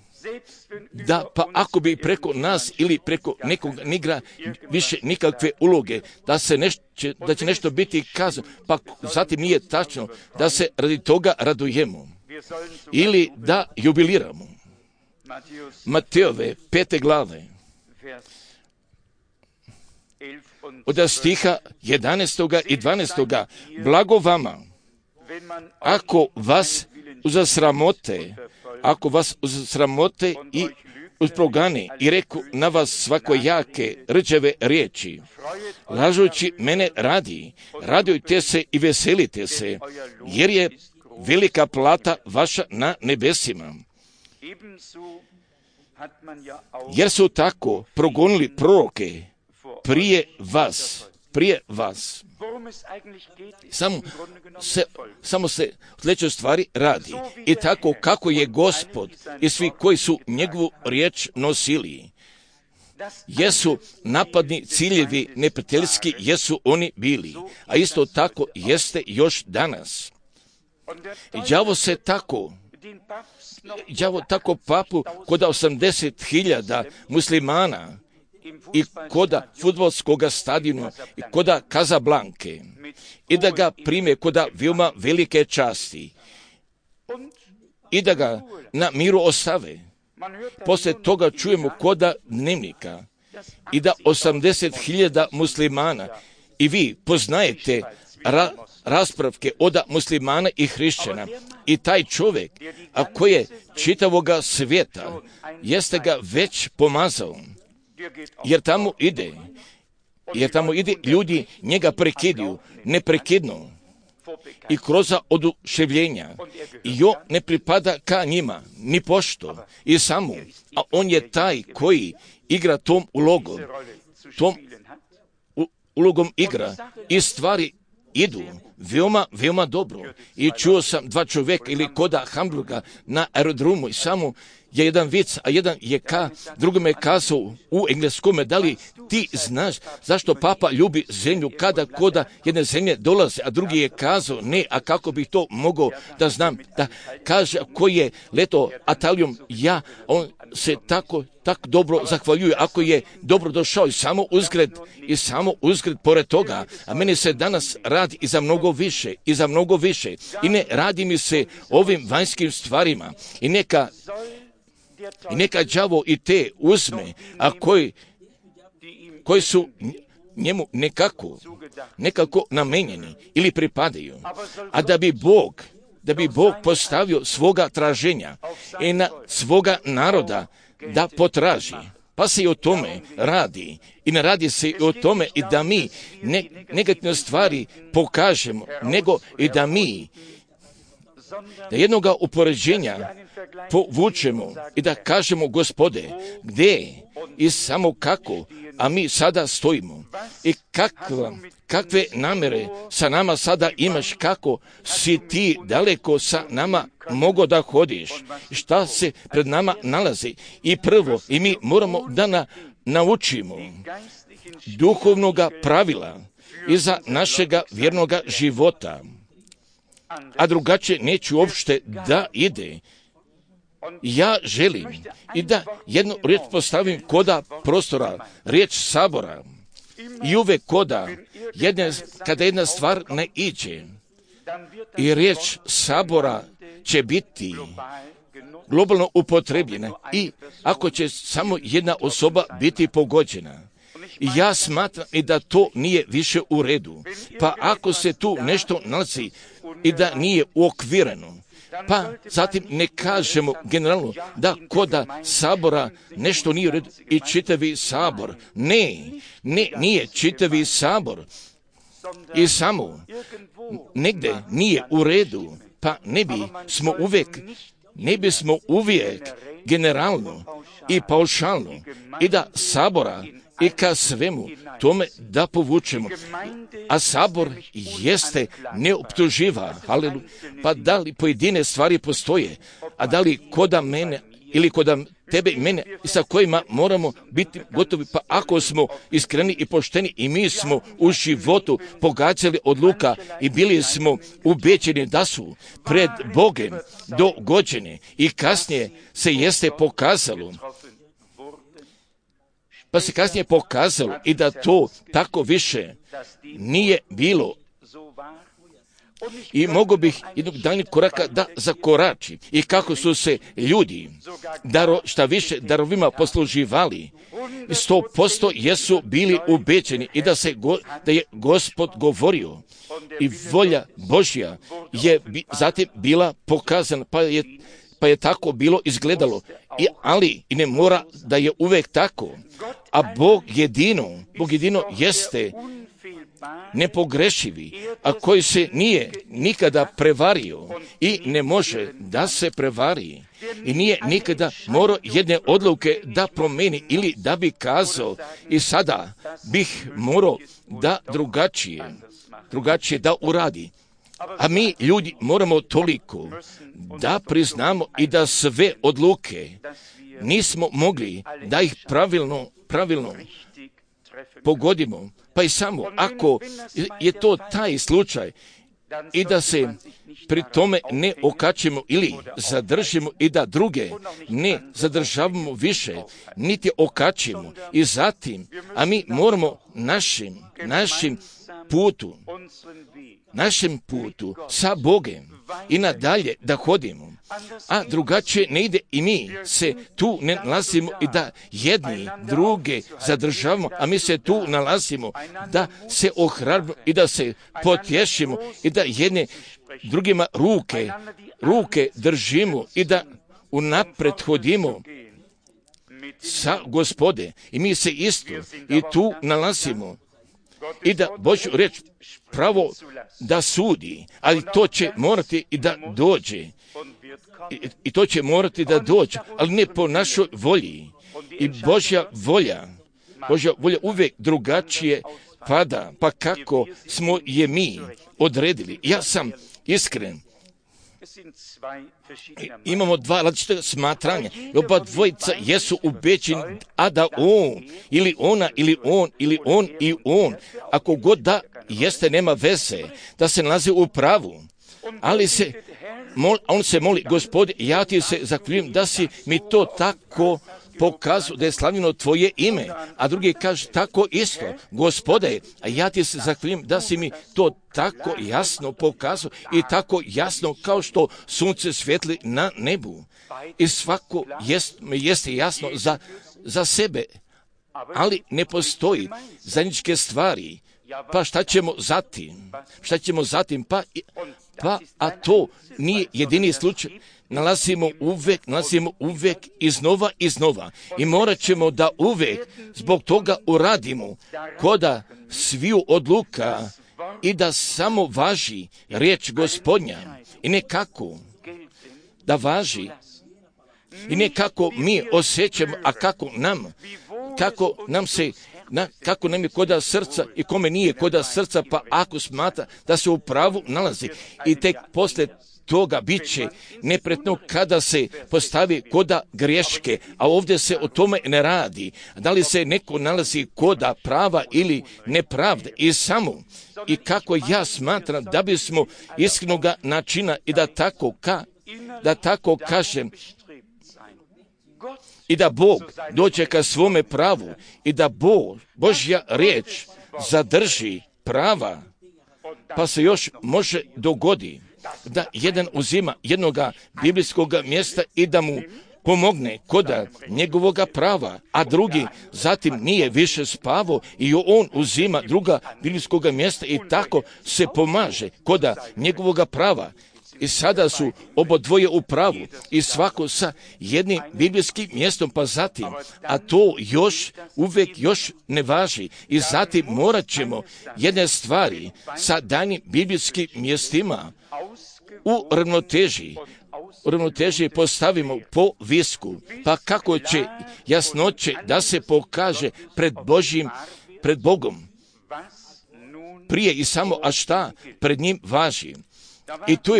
Da, pa ako bi preko nas ili preko nekog nigra više nikakve uloge, da će nešto biti kazano, pa zatim nije tačno da se radi toga radujemo ili da jubiliramo. Mateove 5. glave od stiha 11. i 12. Blago vama, ako vas uzasramote i usprogane i reku na vas svakojake rđave riječi, lažući mene radujte se i veselite se, velika plata vaša na nebesima. Jer su tako progonili proroke prije vas. Samo se o sljedećoj stvari radi. I tako kako je Gospod i svi koji su njegovu riječ nosili, jesu napadni ciljevi neprijateljski, jesu oni bili, a isto tako jeste još danas. I đavo tako papu koda 80.000 muslimana i koda fudbalskog stadiona i koda Kazablanke i da ga prime koda veoma velike časti i da ga na miru ostave. Poslije toga čujemo koda dnevnika i da 80.000 muslimana i vi poznajete raspravke od muslimana i hrišćana i taj čovjek, a koji je čitavoga svijeta, jeste ga već pomazao, jer tamo ide ljudi njega prekidaju, neprekidno i kroz oduševljenja i on ne pripada ka njima, ni pošto i samo, a on je taj koji igra tom ulogom igra i stvari idu veoma dobro. I čuo sam dva čovjeka ili koda Hamburga na aerodromu i samo je jedan vic, a jedan je drugome kazao u engleskome, da li ti znaš zašto Papa ljubi zemlju kada koda jedne zemlje dolaze, a drugi je kazao ne, a kako bih to mogao da znam, da kaže koji je leto Italijom, on se tako dobro zahvaljuje ako je dobro došao i samo uzgred pored toga, a meni se danas radi i za mnogo više i ne radi mi se ovim vanjskim stvarima i neka đavo i te uzme, a koji su njemu nekako namenjeni ili pripadaju, a da bi Bog postavio svoga traženja i na svoga naroda da potraži. Pa se i o tome radi. I ne radi se i o tome i da mi negativne stvari pokažemo, nego i da mi da jednoga upoređenja povučemo i da kažemo Gospode, gdje i samo kako, a mi sada stojimo i kakve namere sa nama sada imaš, kako si ti daleko sa nama mogo da hodiš, šta se pred nama nalazi i prvo i mi moramo da naučimo duhovnoga pravila iza našega vjernoga života, a drugačije neće uopšte da ide. Ja želim i da jednu riječ postavim koda prostora, riječ sabora i uvek kada jedna stvar ne iđe i riječ sabora će biti globalno upotrebljena i ako će samo jedna osoba biti pogođena. Ja smatram i da to nije više u redu. Pa ako se tu nešto nalazi i da nije uokvireno, pa zatim ne kažemo generalno da koda sabora nešto nije u redu i čitavi sabor. Nije čitavi sabor i samo negdje nije u redu, pa ne bismo uvijek generalno i paušalno i da sabora i ka svemu tome da povučemo. A sabor jeste neoptuživa, pa da li pojedine stvari postoje, a da li koda mene ili koda tebe i mene sa kojima moramo biti gotovi, pa ako smo iskreni i pošteni i mi smo u životu pogađali odluka i bili smo ubeđeni da su pred Bogem dogođeni i kasnije se jeste pokazalo, pa se kasnije pokazalo i da to tako više nije bilo. I mogu bih jednog daljnjeg koraka da zakorači i kako su se ljudi šta više darovima posluživali, 100% jesu bili ubeđeni i da je Gospod govorio i volja Božja je zatim bila pokazana, pa je tako bilo izgledalo, ali i ne mora da je uvek tako. A Bog jedino nepogrešivi, a koji se nije nikada prevario i ne može da se prevari i nije nikada morao jedne odluke da promeni ili da bi kazao i sada bih morao da drugačije da uradi. A mi ljudi moramo toliko da priznamo i da sve odluke nismo mogli da ih pravilno pogodimo. Pa i samo ako je to taj slučaj i da se pri tome ne okačimo ili zadržimo i da druge ne zadržavamo više, niti okačimo i zatim, a mi moramo našem putu sa Bogem i nadalje da hodimo, a drugačije ne ide i mi se tu ne nalazimo i da jedni druge zadržavamo, a mi se tu nalazimo da se ohrabrimo i da se potješimo i da jedne drugima ruke držimo i da unapred hodimo sa Gospode i mi se isto i tu nalazimo i da Božju reč pravo da sudi, ali to će morati i da dođe. I to će morati da dođe, ali ne po našoj volji. I Božja volja uvijek drugačije pada, pa kako smo je mi odredili. Ja sam iskren. Imamo dva različita smatranja. Oba dvojica jesu ubeđeni, a da on, ili ona, ili on, ili on i on, ako god da jeste, nema veze, da se nalazi u pravu. Ali on se moli, Gospode, ja ti se zahvaljujem da si mi to tako pokazao, da je slavljeno tvoje ime, a drugi kaže tako isto, Gospode, a ja ti se zahvaljujem da si mi to tako jasno pokazao i tako jasno kao što sunce svijetli na nebu. I svako jeste jasno za sebe, ali ne postoji zajedničke stvari. Pa šta ćemo zatim? Pa, a to nije jedini slučaj. Nalazimo uvek iznova. I morat ćemo da uvek zbog toga uradimo koda sviju odluka i da samo važi riječ Gospodnja. I nekako da važi i nekako mi osjećamo, a kako nam je koda srca i kome nije koda srca, pa ako smatra da se u pravu nalazi i tek posle toga bit će nepretno kada se postavi koda greške, a ovdje se o tome ne radi. Da li se neko nalazi koda prava ili nepravde i samo i kako ja smatram da bismo iskrenoga načina i da tako kažem i da Bog dođe ka svome pravu i da Božja riječ zadrži prava, pa se još može dogodi da jedan uzima jednoga biblijskog mjesta i da mu pomogne koda njegovoga prava, a drugi zatim nije više spavao i on uzima druga biblijskog mjesta i tako se pomaže koda njegovoga prava. I sada su obodvoje u pravu i svako sa jednim biblijskim mjestom, pa zatim, a to uvijek ne važi. I zatim morat ćemo jedne stvari sa danim biblijskim mjestima u ravnoteži postavimo po visku. Pa kako će jasnoće da se pokaže pred Bogom prije i samo, a šta pred njim važi. I tu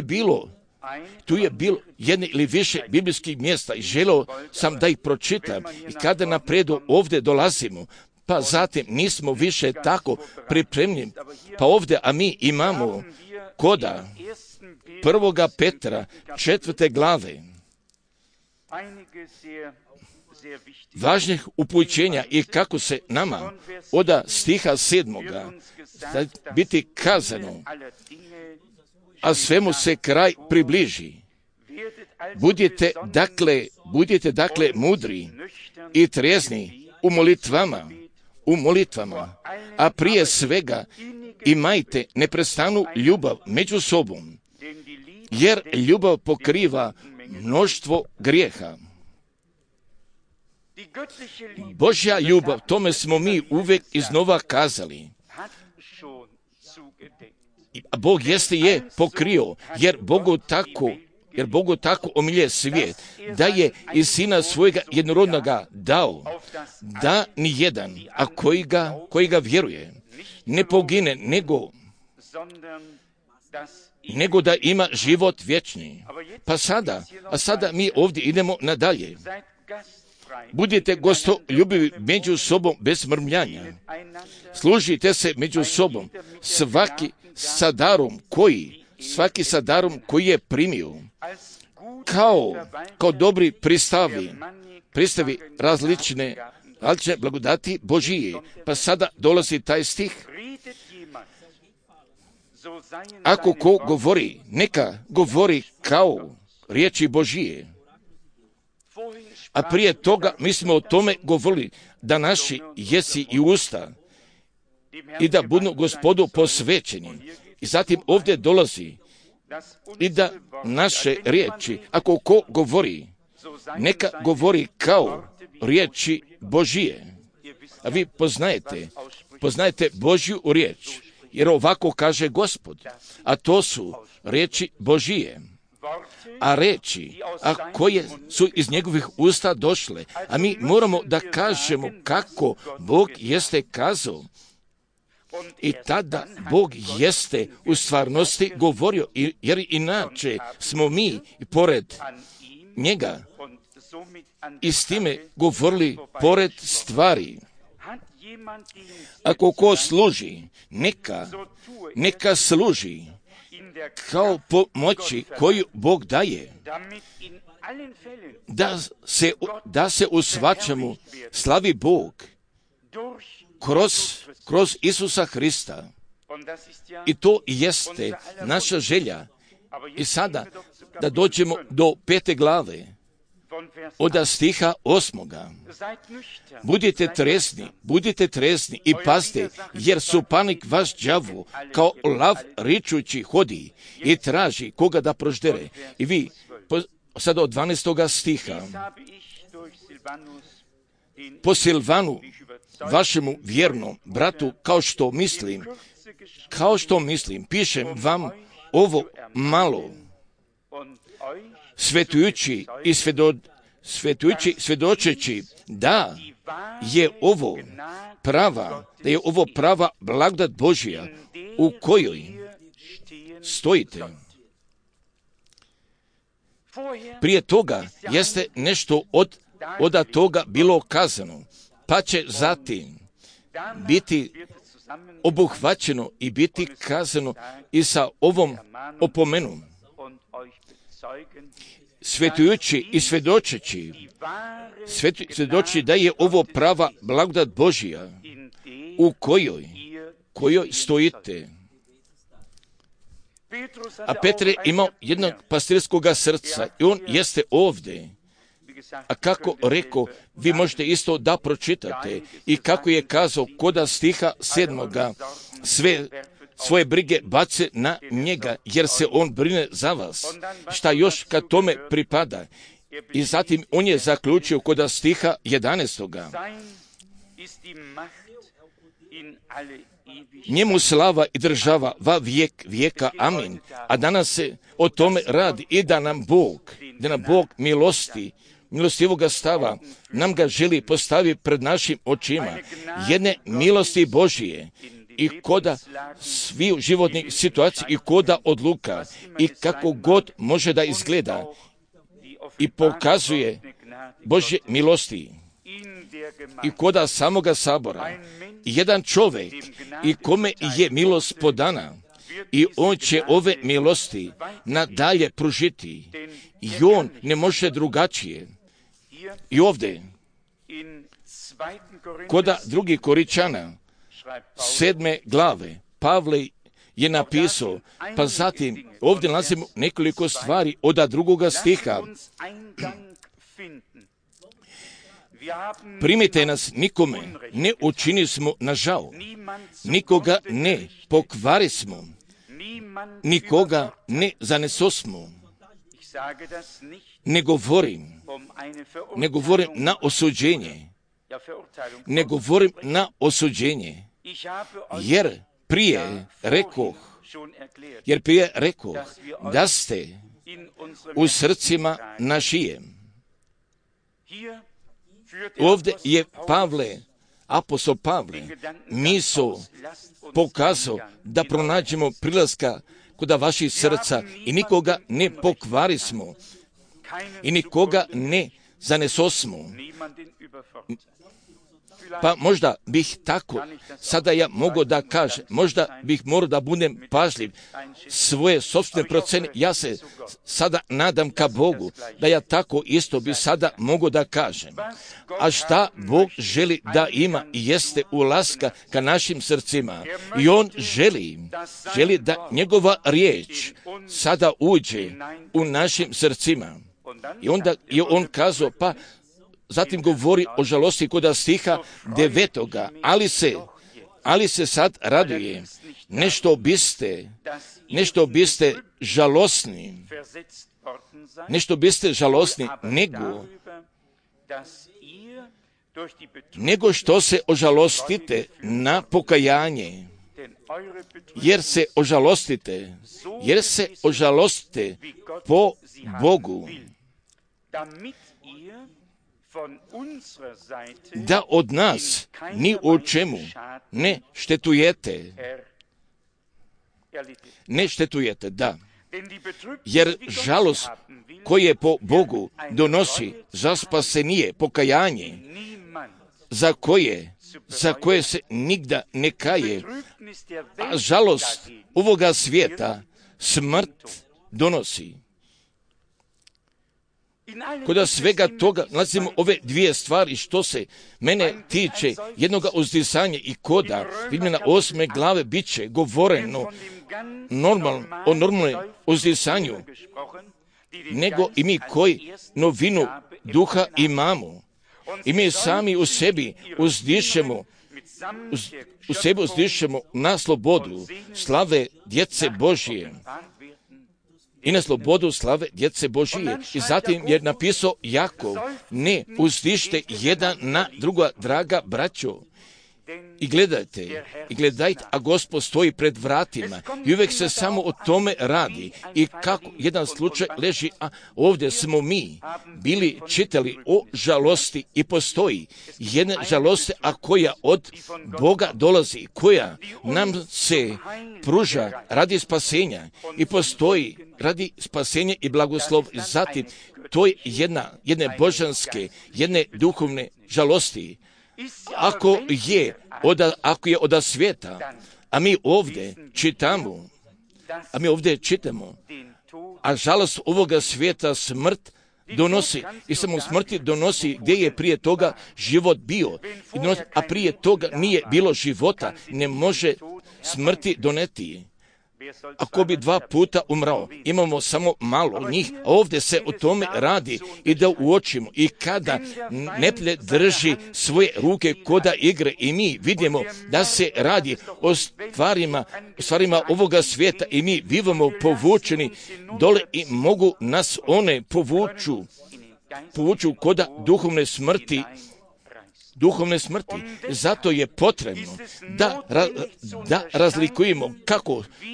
je bilo jedne ili više biblijskih mjesta i želio sam da ih pročitam i kada napredu ovdje dolazimo, pa zatim nismo više tako pripremljeni, pa ovdje, a mi imamo koda 1. Petra 4. glave važnih upućenja i kako se nama od stiha 7. biti kazano, a svemu se kraj približi. Budite dakle mudri i trijezni u molitvama, a prije svega imajte neprestanu ljubav među sobom, jer ljubav pokriva mnoštvo grijeha. Božja ljubav, tome smo mi uvijek iznova kazali, A Bog jeste je pokrio, jer Bogu tako omilje svijet, da je i Sina svojega jednorodnoga dao, da ni jedan, a koji ga vjeruje, ne pogine, nego da ima život vječni. A sada mi ovdje idemo nadalje. Budite gostoljubivi među sobom bez mrmljanja. Služite se među sobom, svaki sa darom koji je primio, kao dobri pristavi različne blagodati Božije. Pa sada dolazi taj stih. Ako ko govori, neka govori kao riječi Božije. A prije toga mi smo o tome govorili, da naši jesi i usta i da budu Gospodu posvećeni. I zatim ovdje dolazi i da naše riječi, ako ko govori, neka govori kao riječi Božije. A vi poznajete Božju riječ, jer ovako kaže Gospod, a to su riječi Božije. A riječi, koje su iz njegovih usta došle, a mi moramo da kažemo kako Bog jeste kazao. I tada Bog jeste u stvarnosti govorio, jer inače smo mi pored njega i s time govorili pored stvari. Ako ko služi, neka služi kao pomoći koju Bog daje, da se u svačemu slavi Bog kroz Isusa Hrista. I to jeste naša želja. I sada da dođemo do 5. glave, od stiha 8. Budite trezni i pazite, jer suparnik vaš đavo kao lav ričući hodi i traži koga da proždere. I vi, sada od 12. stiha, po Silvanu, vašemu vjernom bratu, kao što mislim, pišem vam ovo malo, svjedočeći da je ovo prava blagodat Božja u kojoj stojite. Prije toga jeste nešto od toga bilo kazano, pa će zatim biti obuhvaćeno i biti kazano i sa ovom opomenom. Svetujući i svjedoči da je ovo prava blagodat Božja u kojoj stojite. A Petre imao jednog pastirskog srca i on jeste ovdje. A kako rekao, vi možete isto da pročitate i kako je kazao koda stiha 7. sve svoje brige bace na njega, jer se on brine za vas. Šta još kad tome pripada? I zatim on je zaključio koda stiha 11. Njemu slava i država va vijek vijeka, amin. A danas se o tome radi i da nam Bog milostivoga stava nam ga želi postaviti pred našim očima. Jedne milosti Božije i koda svih životnih situacija i koda odluka i kako god može da izgleda i pokazuje Božje milosti i koda samoga sabora. Jedan čovjek i kome je milost podana i on će ove milosti nadalje pružiti i on ne može drugačije. I ovdje koda 2. Korinčana 7. glave Pavle je napisao, pa zatim ovdje nalazimo nekoliko stvari od 2. stiha. Primite nas nikome, ne učini smo na žao, nikoga ne pokvari smo, nikoga ne zanesosmo. Ne govorim na osuđenje, jer prije rekoh, da ste u srcima našim. Ovdje je apostol Pavle, misao pokazao da pronađemo prilaska kod vaših srca i nikoga ne pokvarismo i nikoga ne zanesosmo. Pa možda bih tako, sada ja mogu da kažem, možda bih morao da budem pažljiv svoje sopstvene procene. Ja se sada nadam ka Bogu, da ja tako isto bi sada mogu da kažem. A šta Bog želi da ima i jeste ulaska ka našim srcima. I On želi da njegova riječ sada uđe u našim srcima. I onda je On kazao, pa zatim govori o žalosti kod stiha 9. Ali se sad raduje. Nešto biste žalosni. Nego što se ožalostite na pokajanje. Jer se ožalostite po Bogu. Da od nas ni u čemu ne štetujete, da. Jer žalost koje po Bogu donosi za spasenije, pokajanje, za koje se nigda ne kaje, a žalost ovoga svijeta smrt donosi. Kod svega toga nalazimo ove dvije stvari što se mene tiče jednoga uzdisanja i koda Rimljana 8. glave bit će govoreno o normalnom uzdisanju, nego i mi koji novinu duha imamo. I mi sami u sebi uzdišemo na slobodu slave djece Božije. I na slobodu slave djece Božije. I zatim je napisao Jakov, ne uzdište jedan na druga, draga braćo. I gledajte, a Gospod stoji pred vratima i uvijek se samo o tome radi. I kako jedan slučaj leži, a ovdje smo mi bili čitali o žalosti i postoji jedna žalost, a koja od Boga dolazi, koja nam se pruža radi spasenja i postoji radi spasenja i blagoslov. Zatim, to je jedne božanske, jedne duhovne žalosti. Ako je od svijeta, a mi ovdje čitamo, a žalost ovoga svijeta smrt donosi, i samo smrti donosi gdje je prije toga život bio, a prije toga nije bilo života, ne može smrti doneti. Ako bi 2 puta umrao, imamo samo malo njih, a ovdje se o tome radi i da uočimo. I kada neprijatelj drži svoje ruke koda igre i mi vidimo da se radi o stvarima ovoga svijeta i mi bivamo povučeni dole i mogu nas one povuču koda duhovne smrti. Zato je potrebno da razlikujemo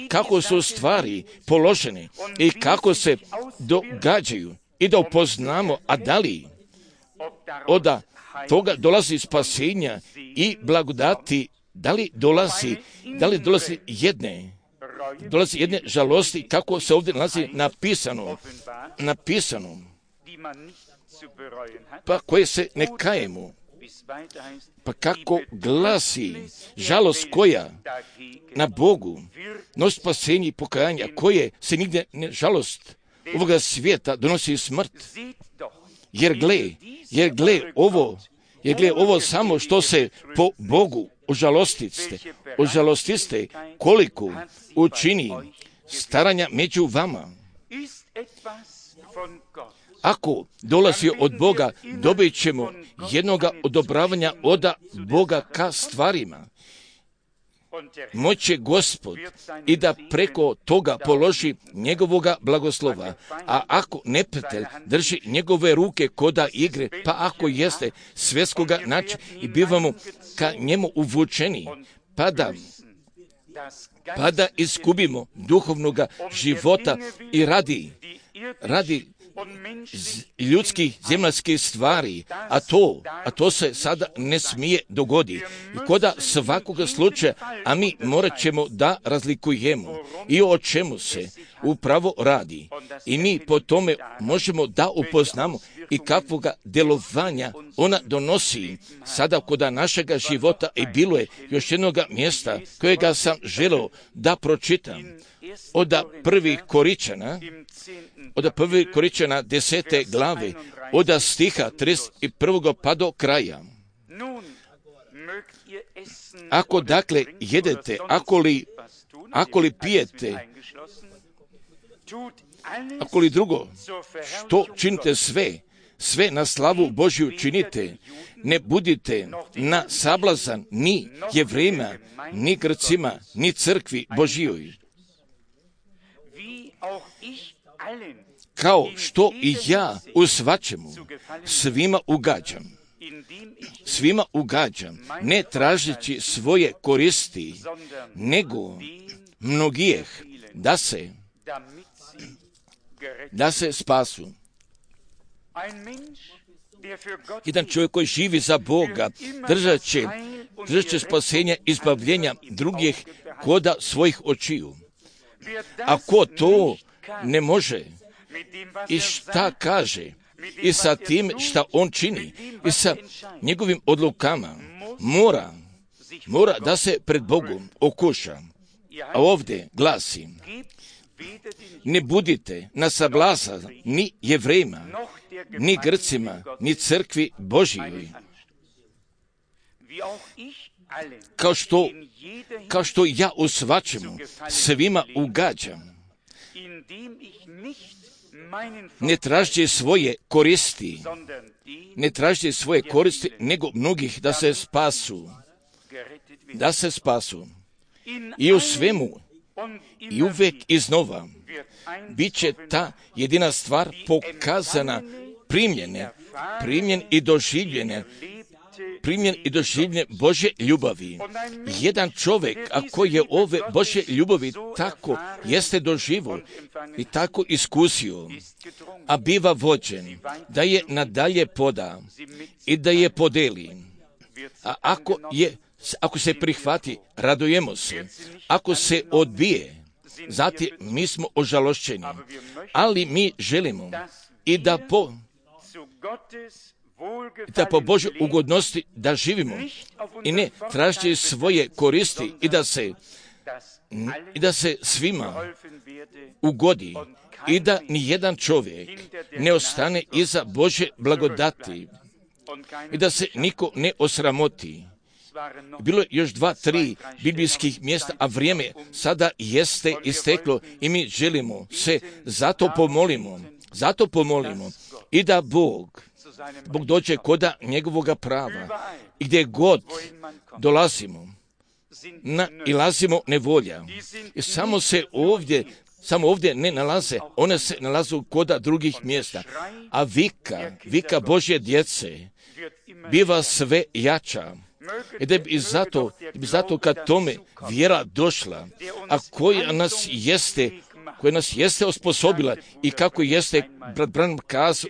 kako su stvari položene i kako se događaju i da upoznamo, a da li od toga dolazi spasenja i blagodati, da li dolazi jedne žalosti, kako se ovdje nalazi napisano, pa koje se ne kajemo. Pa kako glasi žalost koja na Bogu nosi spasenje i pokajanje, koje se nigdje ne žalost ovoga svijeta donosi smrt. Jer gle ovo samo što se po Bogu ožalostiste koliko učini staranja među vama. Ako dolazi od Boga, dobit ćemo jednoga odobravanja od Boga ka stvarima. Moće Gospod i da preko toga položi njegovoga blagoslova. A ako neprijatelj drži njegove ruke koda igre, pa ako jeste svjetskoga načina i bivamo ka njemu uvučeni, pa da pa da izgubimo duhovnoga života i radi ljudskih zemaljskih stvari, a to se sada ne smije dogoditi. I koda svakoga slučaja, a mi morat ćemo da razlikujemo i o čemu se upravo radi. I mi po tome možemo da upoznamo i kakvoga djelovanja ona donosi sada koda našega života. I bilo je još jednog mjesta kojega sam želeo da pročitam. Od prvih Koričana 10. glave, od stiha 31. pa do kraja. Ako dakle jedete, ako li pijete, ako li drugo, što činite sve na slavu Božju činite, ne budite na sablazan ni Jevrejima, ni Grcima, ni crkvi Božjoj. Kao što i ja u svačemu svima ugađam, ne tražeći svoje koristi, nego mnogijeh da se spasu. Jedan čovjek koji živi za Boga držat će spasenja, izbavljenja drugih koda svojih očiju. Ako to ne može i šta kaže i sa tim šta on čini i sa njegovim odlukama, mora da se pred Bogom okuša. A ovdje glasi: ne budite na sablazan ni Jevrejima, ni Grcima, ni crkvi Božjoj. Kao što ja u svačemu svima ugađam, ne tražite svoje koristi, nego mnogih da se spasu. I u svemu, i uvijek iznova, bit će ta jedina stvar pokazana, primljen i doživljen Božje ljubavi. Jedan čovjek, ako je ove Božje ljubavi tako jeste doživo i tako iskusio, a biva vođen, da je nadalje poda i da je podeli. A ako se prihvati, radujemo se. Ako se odbije, zatim mi smo ožalošćeni. Ali mi želimo i da po Božoj ugodnosti da živimo i ne tražiti svoje koristi i da se svima ugodi i da ni jedan čovjek ne ostane iza Božje blagodati i da se niko ne osramoti. Bilo je još 2-3 biblijskih mjesta, a vrijeme sada jeste isteklo i mi želimo se zato pomolimo i da Bog dođe koda njegovoga prava i gdje god dolazimo, nailazimo nevolja. I samo ovdje ne nalaze, one se nalaze koda drugih mjesta. A vika Božje djece biva sve jača. I da bi zato kad tome vjera došla, a koja nas jeste osposobila i kako jeste brat Branham kazao,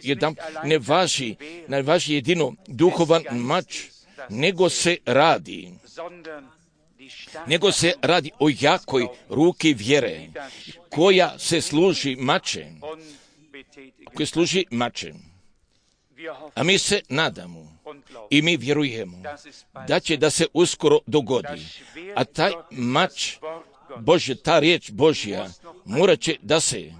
ne važi jedino duhovan mač, nego se radi o jakoj ruki vjere, koja služi mačem. A mi se nadamo i mi vjerujemo da će da se uskoro dogodi. A taj mač Božje, ta riječ Božja, morat će da se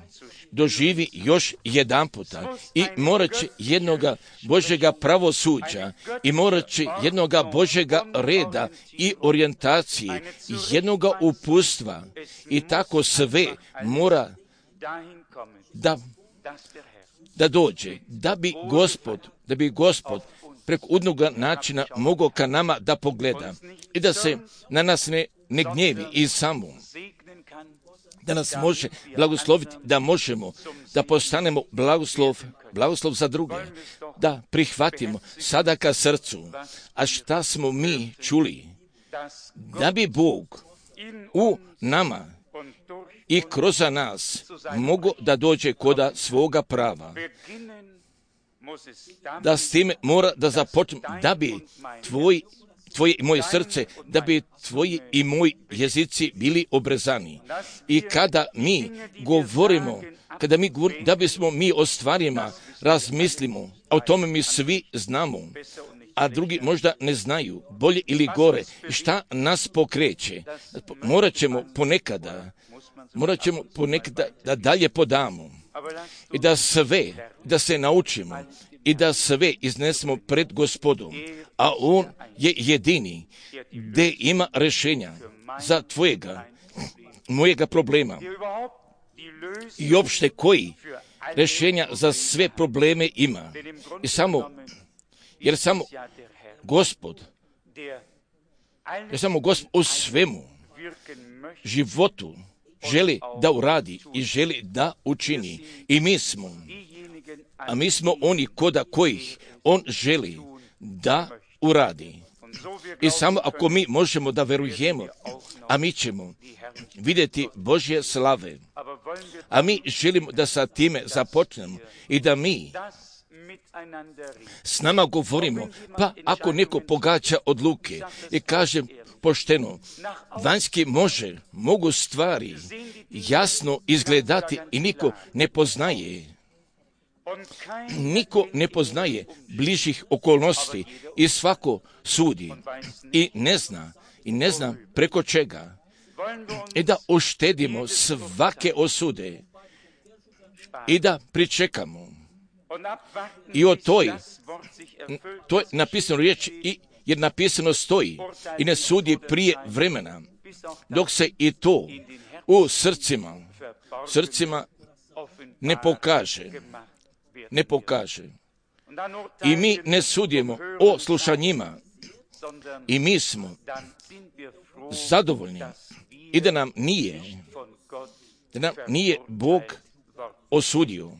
doživi još jedan puta i morat će jednoga Božjega pravosuđa i morat će jednoga Božjega reda i orijentacije, jednoga upustva i tako sve mora da dođe, da bi Gospod preko udnoga načina mogao ka nama da pogleda i da se na nas ne gnjevi i samo da nas može blagosloviti, da možemo da postanemo blagoslov za druge, da prihvatimo sada ka srcu. A šta smo mi čuli? Da bi Bog u nama i kroz nas mogu da dođe koda svoga prava. Da s time mora da započnem, da bi tvoje i moje srce, da bi tvoji i moji jezici bili obrezani. I kada mi govorimo, da bismo mi o stvarima razmislimo, a o tome mi svi znamo, a drugi možda ne znaju, bolje ili gore, šta nas pokreće. Morat ćemo ponekada da dalje podamo i da se naučimo i da sve iznesemo pred Gospodom, a On je jedini gdje ima rješenja za mojega problema i opšte koji rješenja za sve probleme ima. Jer samo Gospod u svemu životu želi da uradi i želi da učini. I mi smo oni koda kojih On želi da uradi. I samo ako mi možemo da verujemo, a mi ćemo vidjeti Božje slave. A mi želimo da sa time započnemo i da mi s nama govorimo, pa ako neko pogađa odluke i kaže pošteno, vanjski mogu stvari jasno izgledati i niko ne poznaje bližih okolnosti i svako sudi i ne zna preko čega. I da uštedimo svake osude i da pričekamo. I o to je napisano riječ, jer napisano stoji i ne sudi prije vremena, dok se i to u srcima ne pokaže. I mi ne sudimo o slušanjima i mi smo zadovoljni i da nam nije Bog osudio.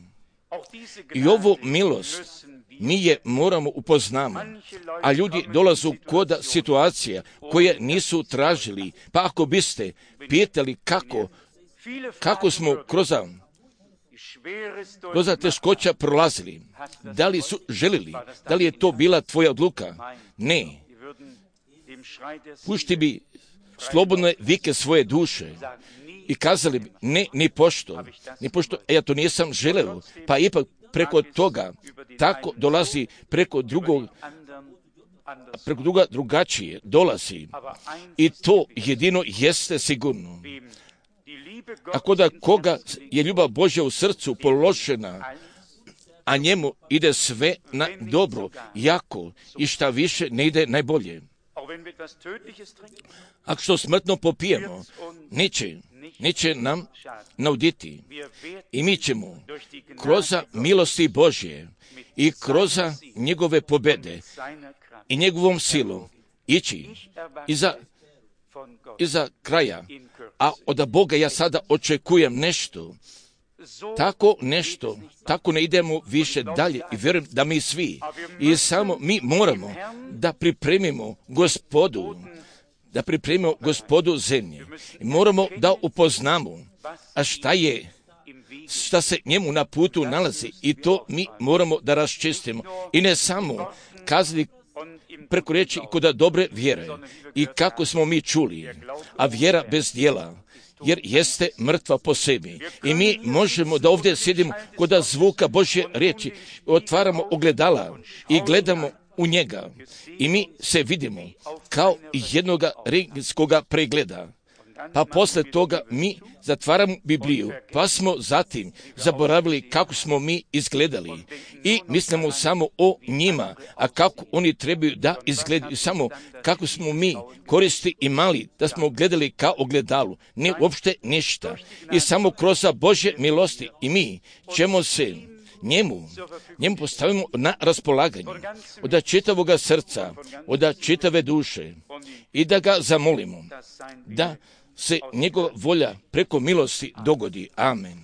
I ovu milost mi je moramo upoznamo, a ljudi dolazu kod situacija koje nisu tražili. Pa ako biste pitali kako smo kroz teškoća prolazili, da li su želili, da li je to bila tvoja odluka? Ne. Pušti bi slobodne vike svoje duše i kazali bi, ne, ni pošto, ja to nisam želeo, pa ipak preko toga tako dolazi preko druga drugačije dolazi. I to jedino jeste sigurno. Ako da koga je ljubav Božja u srcu položena, a njemu ide sve na dobro, jako i šta više ne ide najbolje. Ako što smrtno popijemo, neće nam nauditi. I mi ćemo kroz milosti Božje i kroz njegove pobede i njegovom silu ići iza kraja. A od Boga ja sada očekujem nešto, tako ne idemo više dalje i vjerujem da mi svi i samo mi moramo da pripremimo Gospodu zemlje. Moramo da upoznamo šta se njemu na putu nalazi i to mi moramo da raščistimo. I ne samo kazati preko riječi i kod dobre vjere i kako smo mi čuli, a vjera bez djela, jer jeste mrtva po sebi. I mi možemo da ovdje sjedimo kod zvuka Božje riječi, otvaramo ogledala i gledamo u njega i mi se vidimo kao jednoga rentgenskoga pregleda. Pa posle toga mi zatvaramo Bibliju, pa smo zatim zaboravili kako smo mi izgledali i mislimo samo o njima, a kako oni trebaju da izgledaju, samo kako smo mi koristi imali, da smo gledali kao ogledalu, ne uopšte ništa. I samo kroz Božje milosti i mi ćemo se njemu postavimo na raspolaganje od čitavoga srca, od čitave duše i da ga zamolimo da se njegova volja preko milosti dogodi. Amen.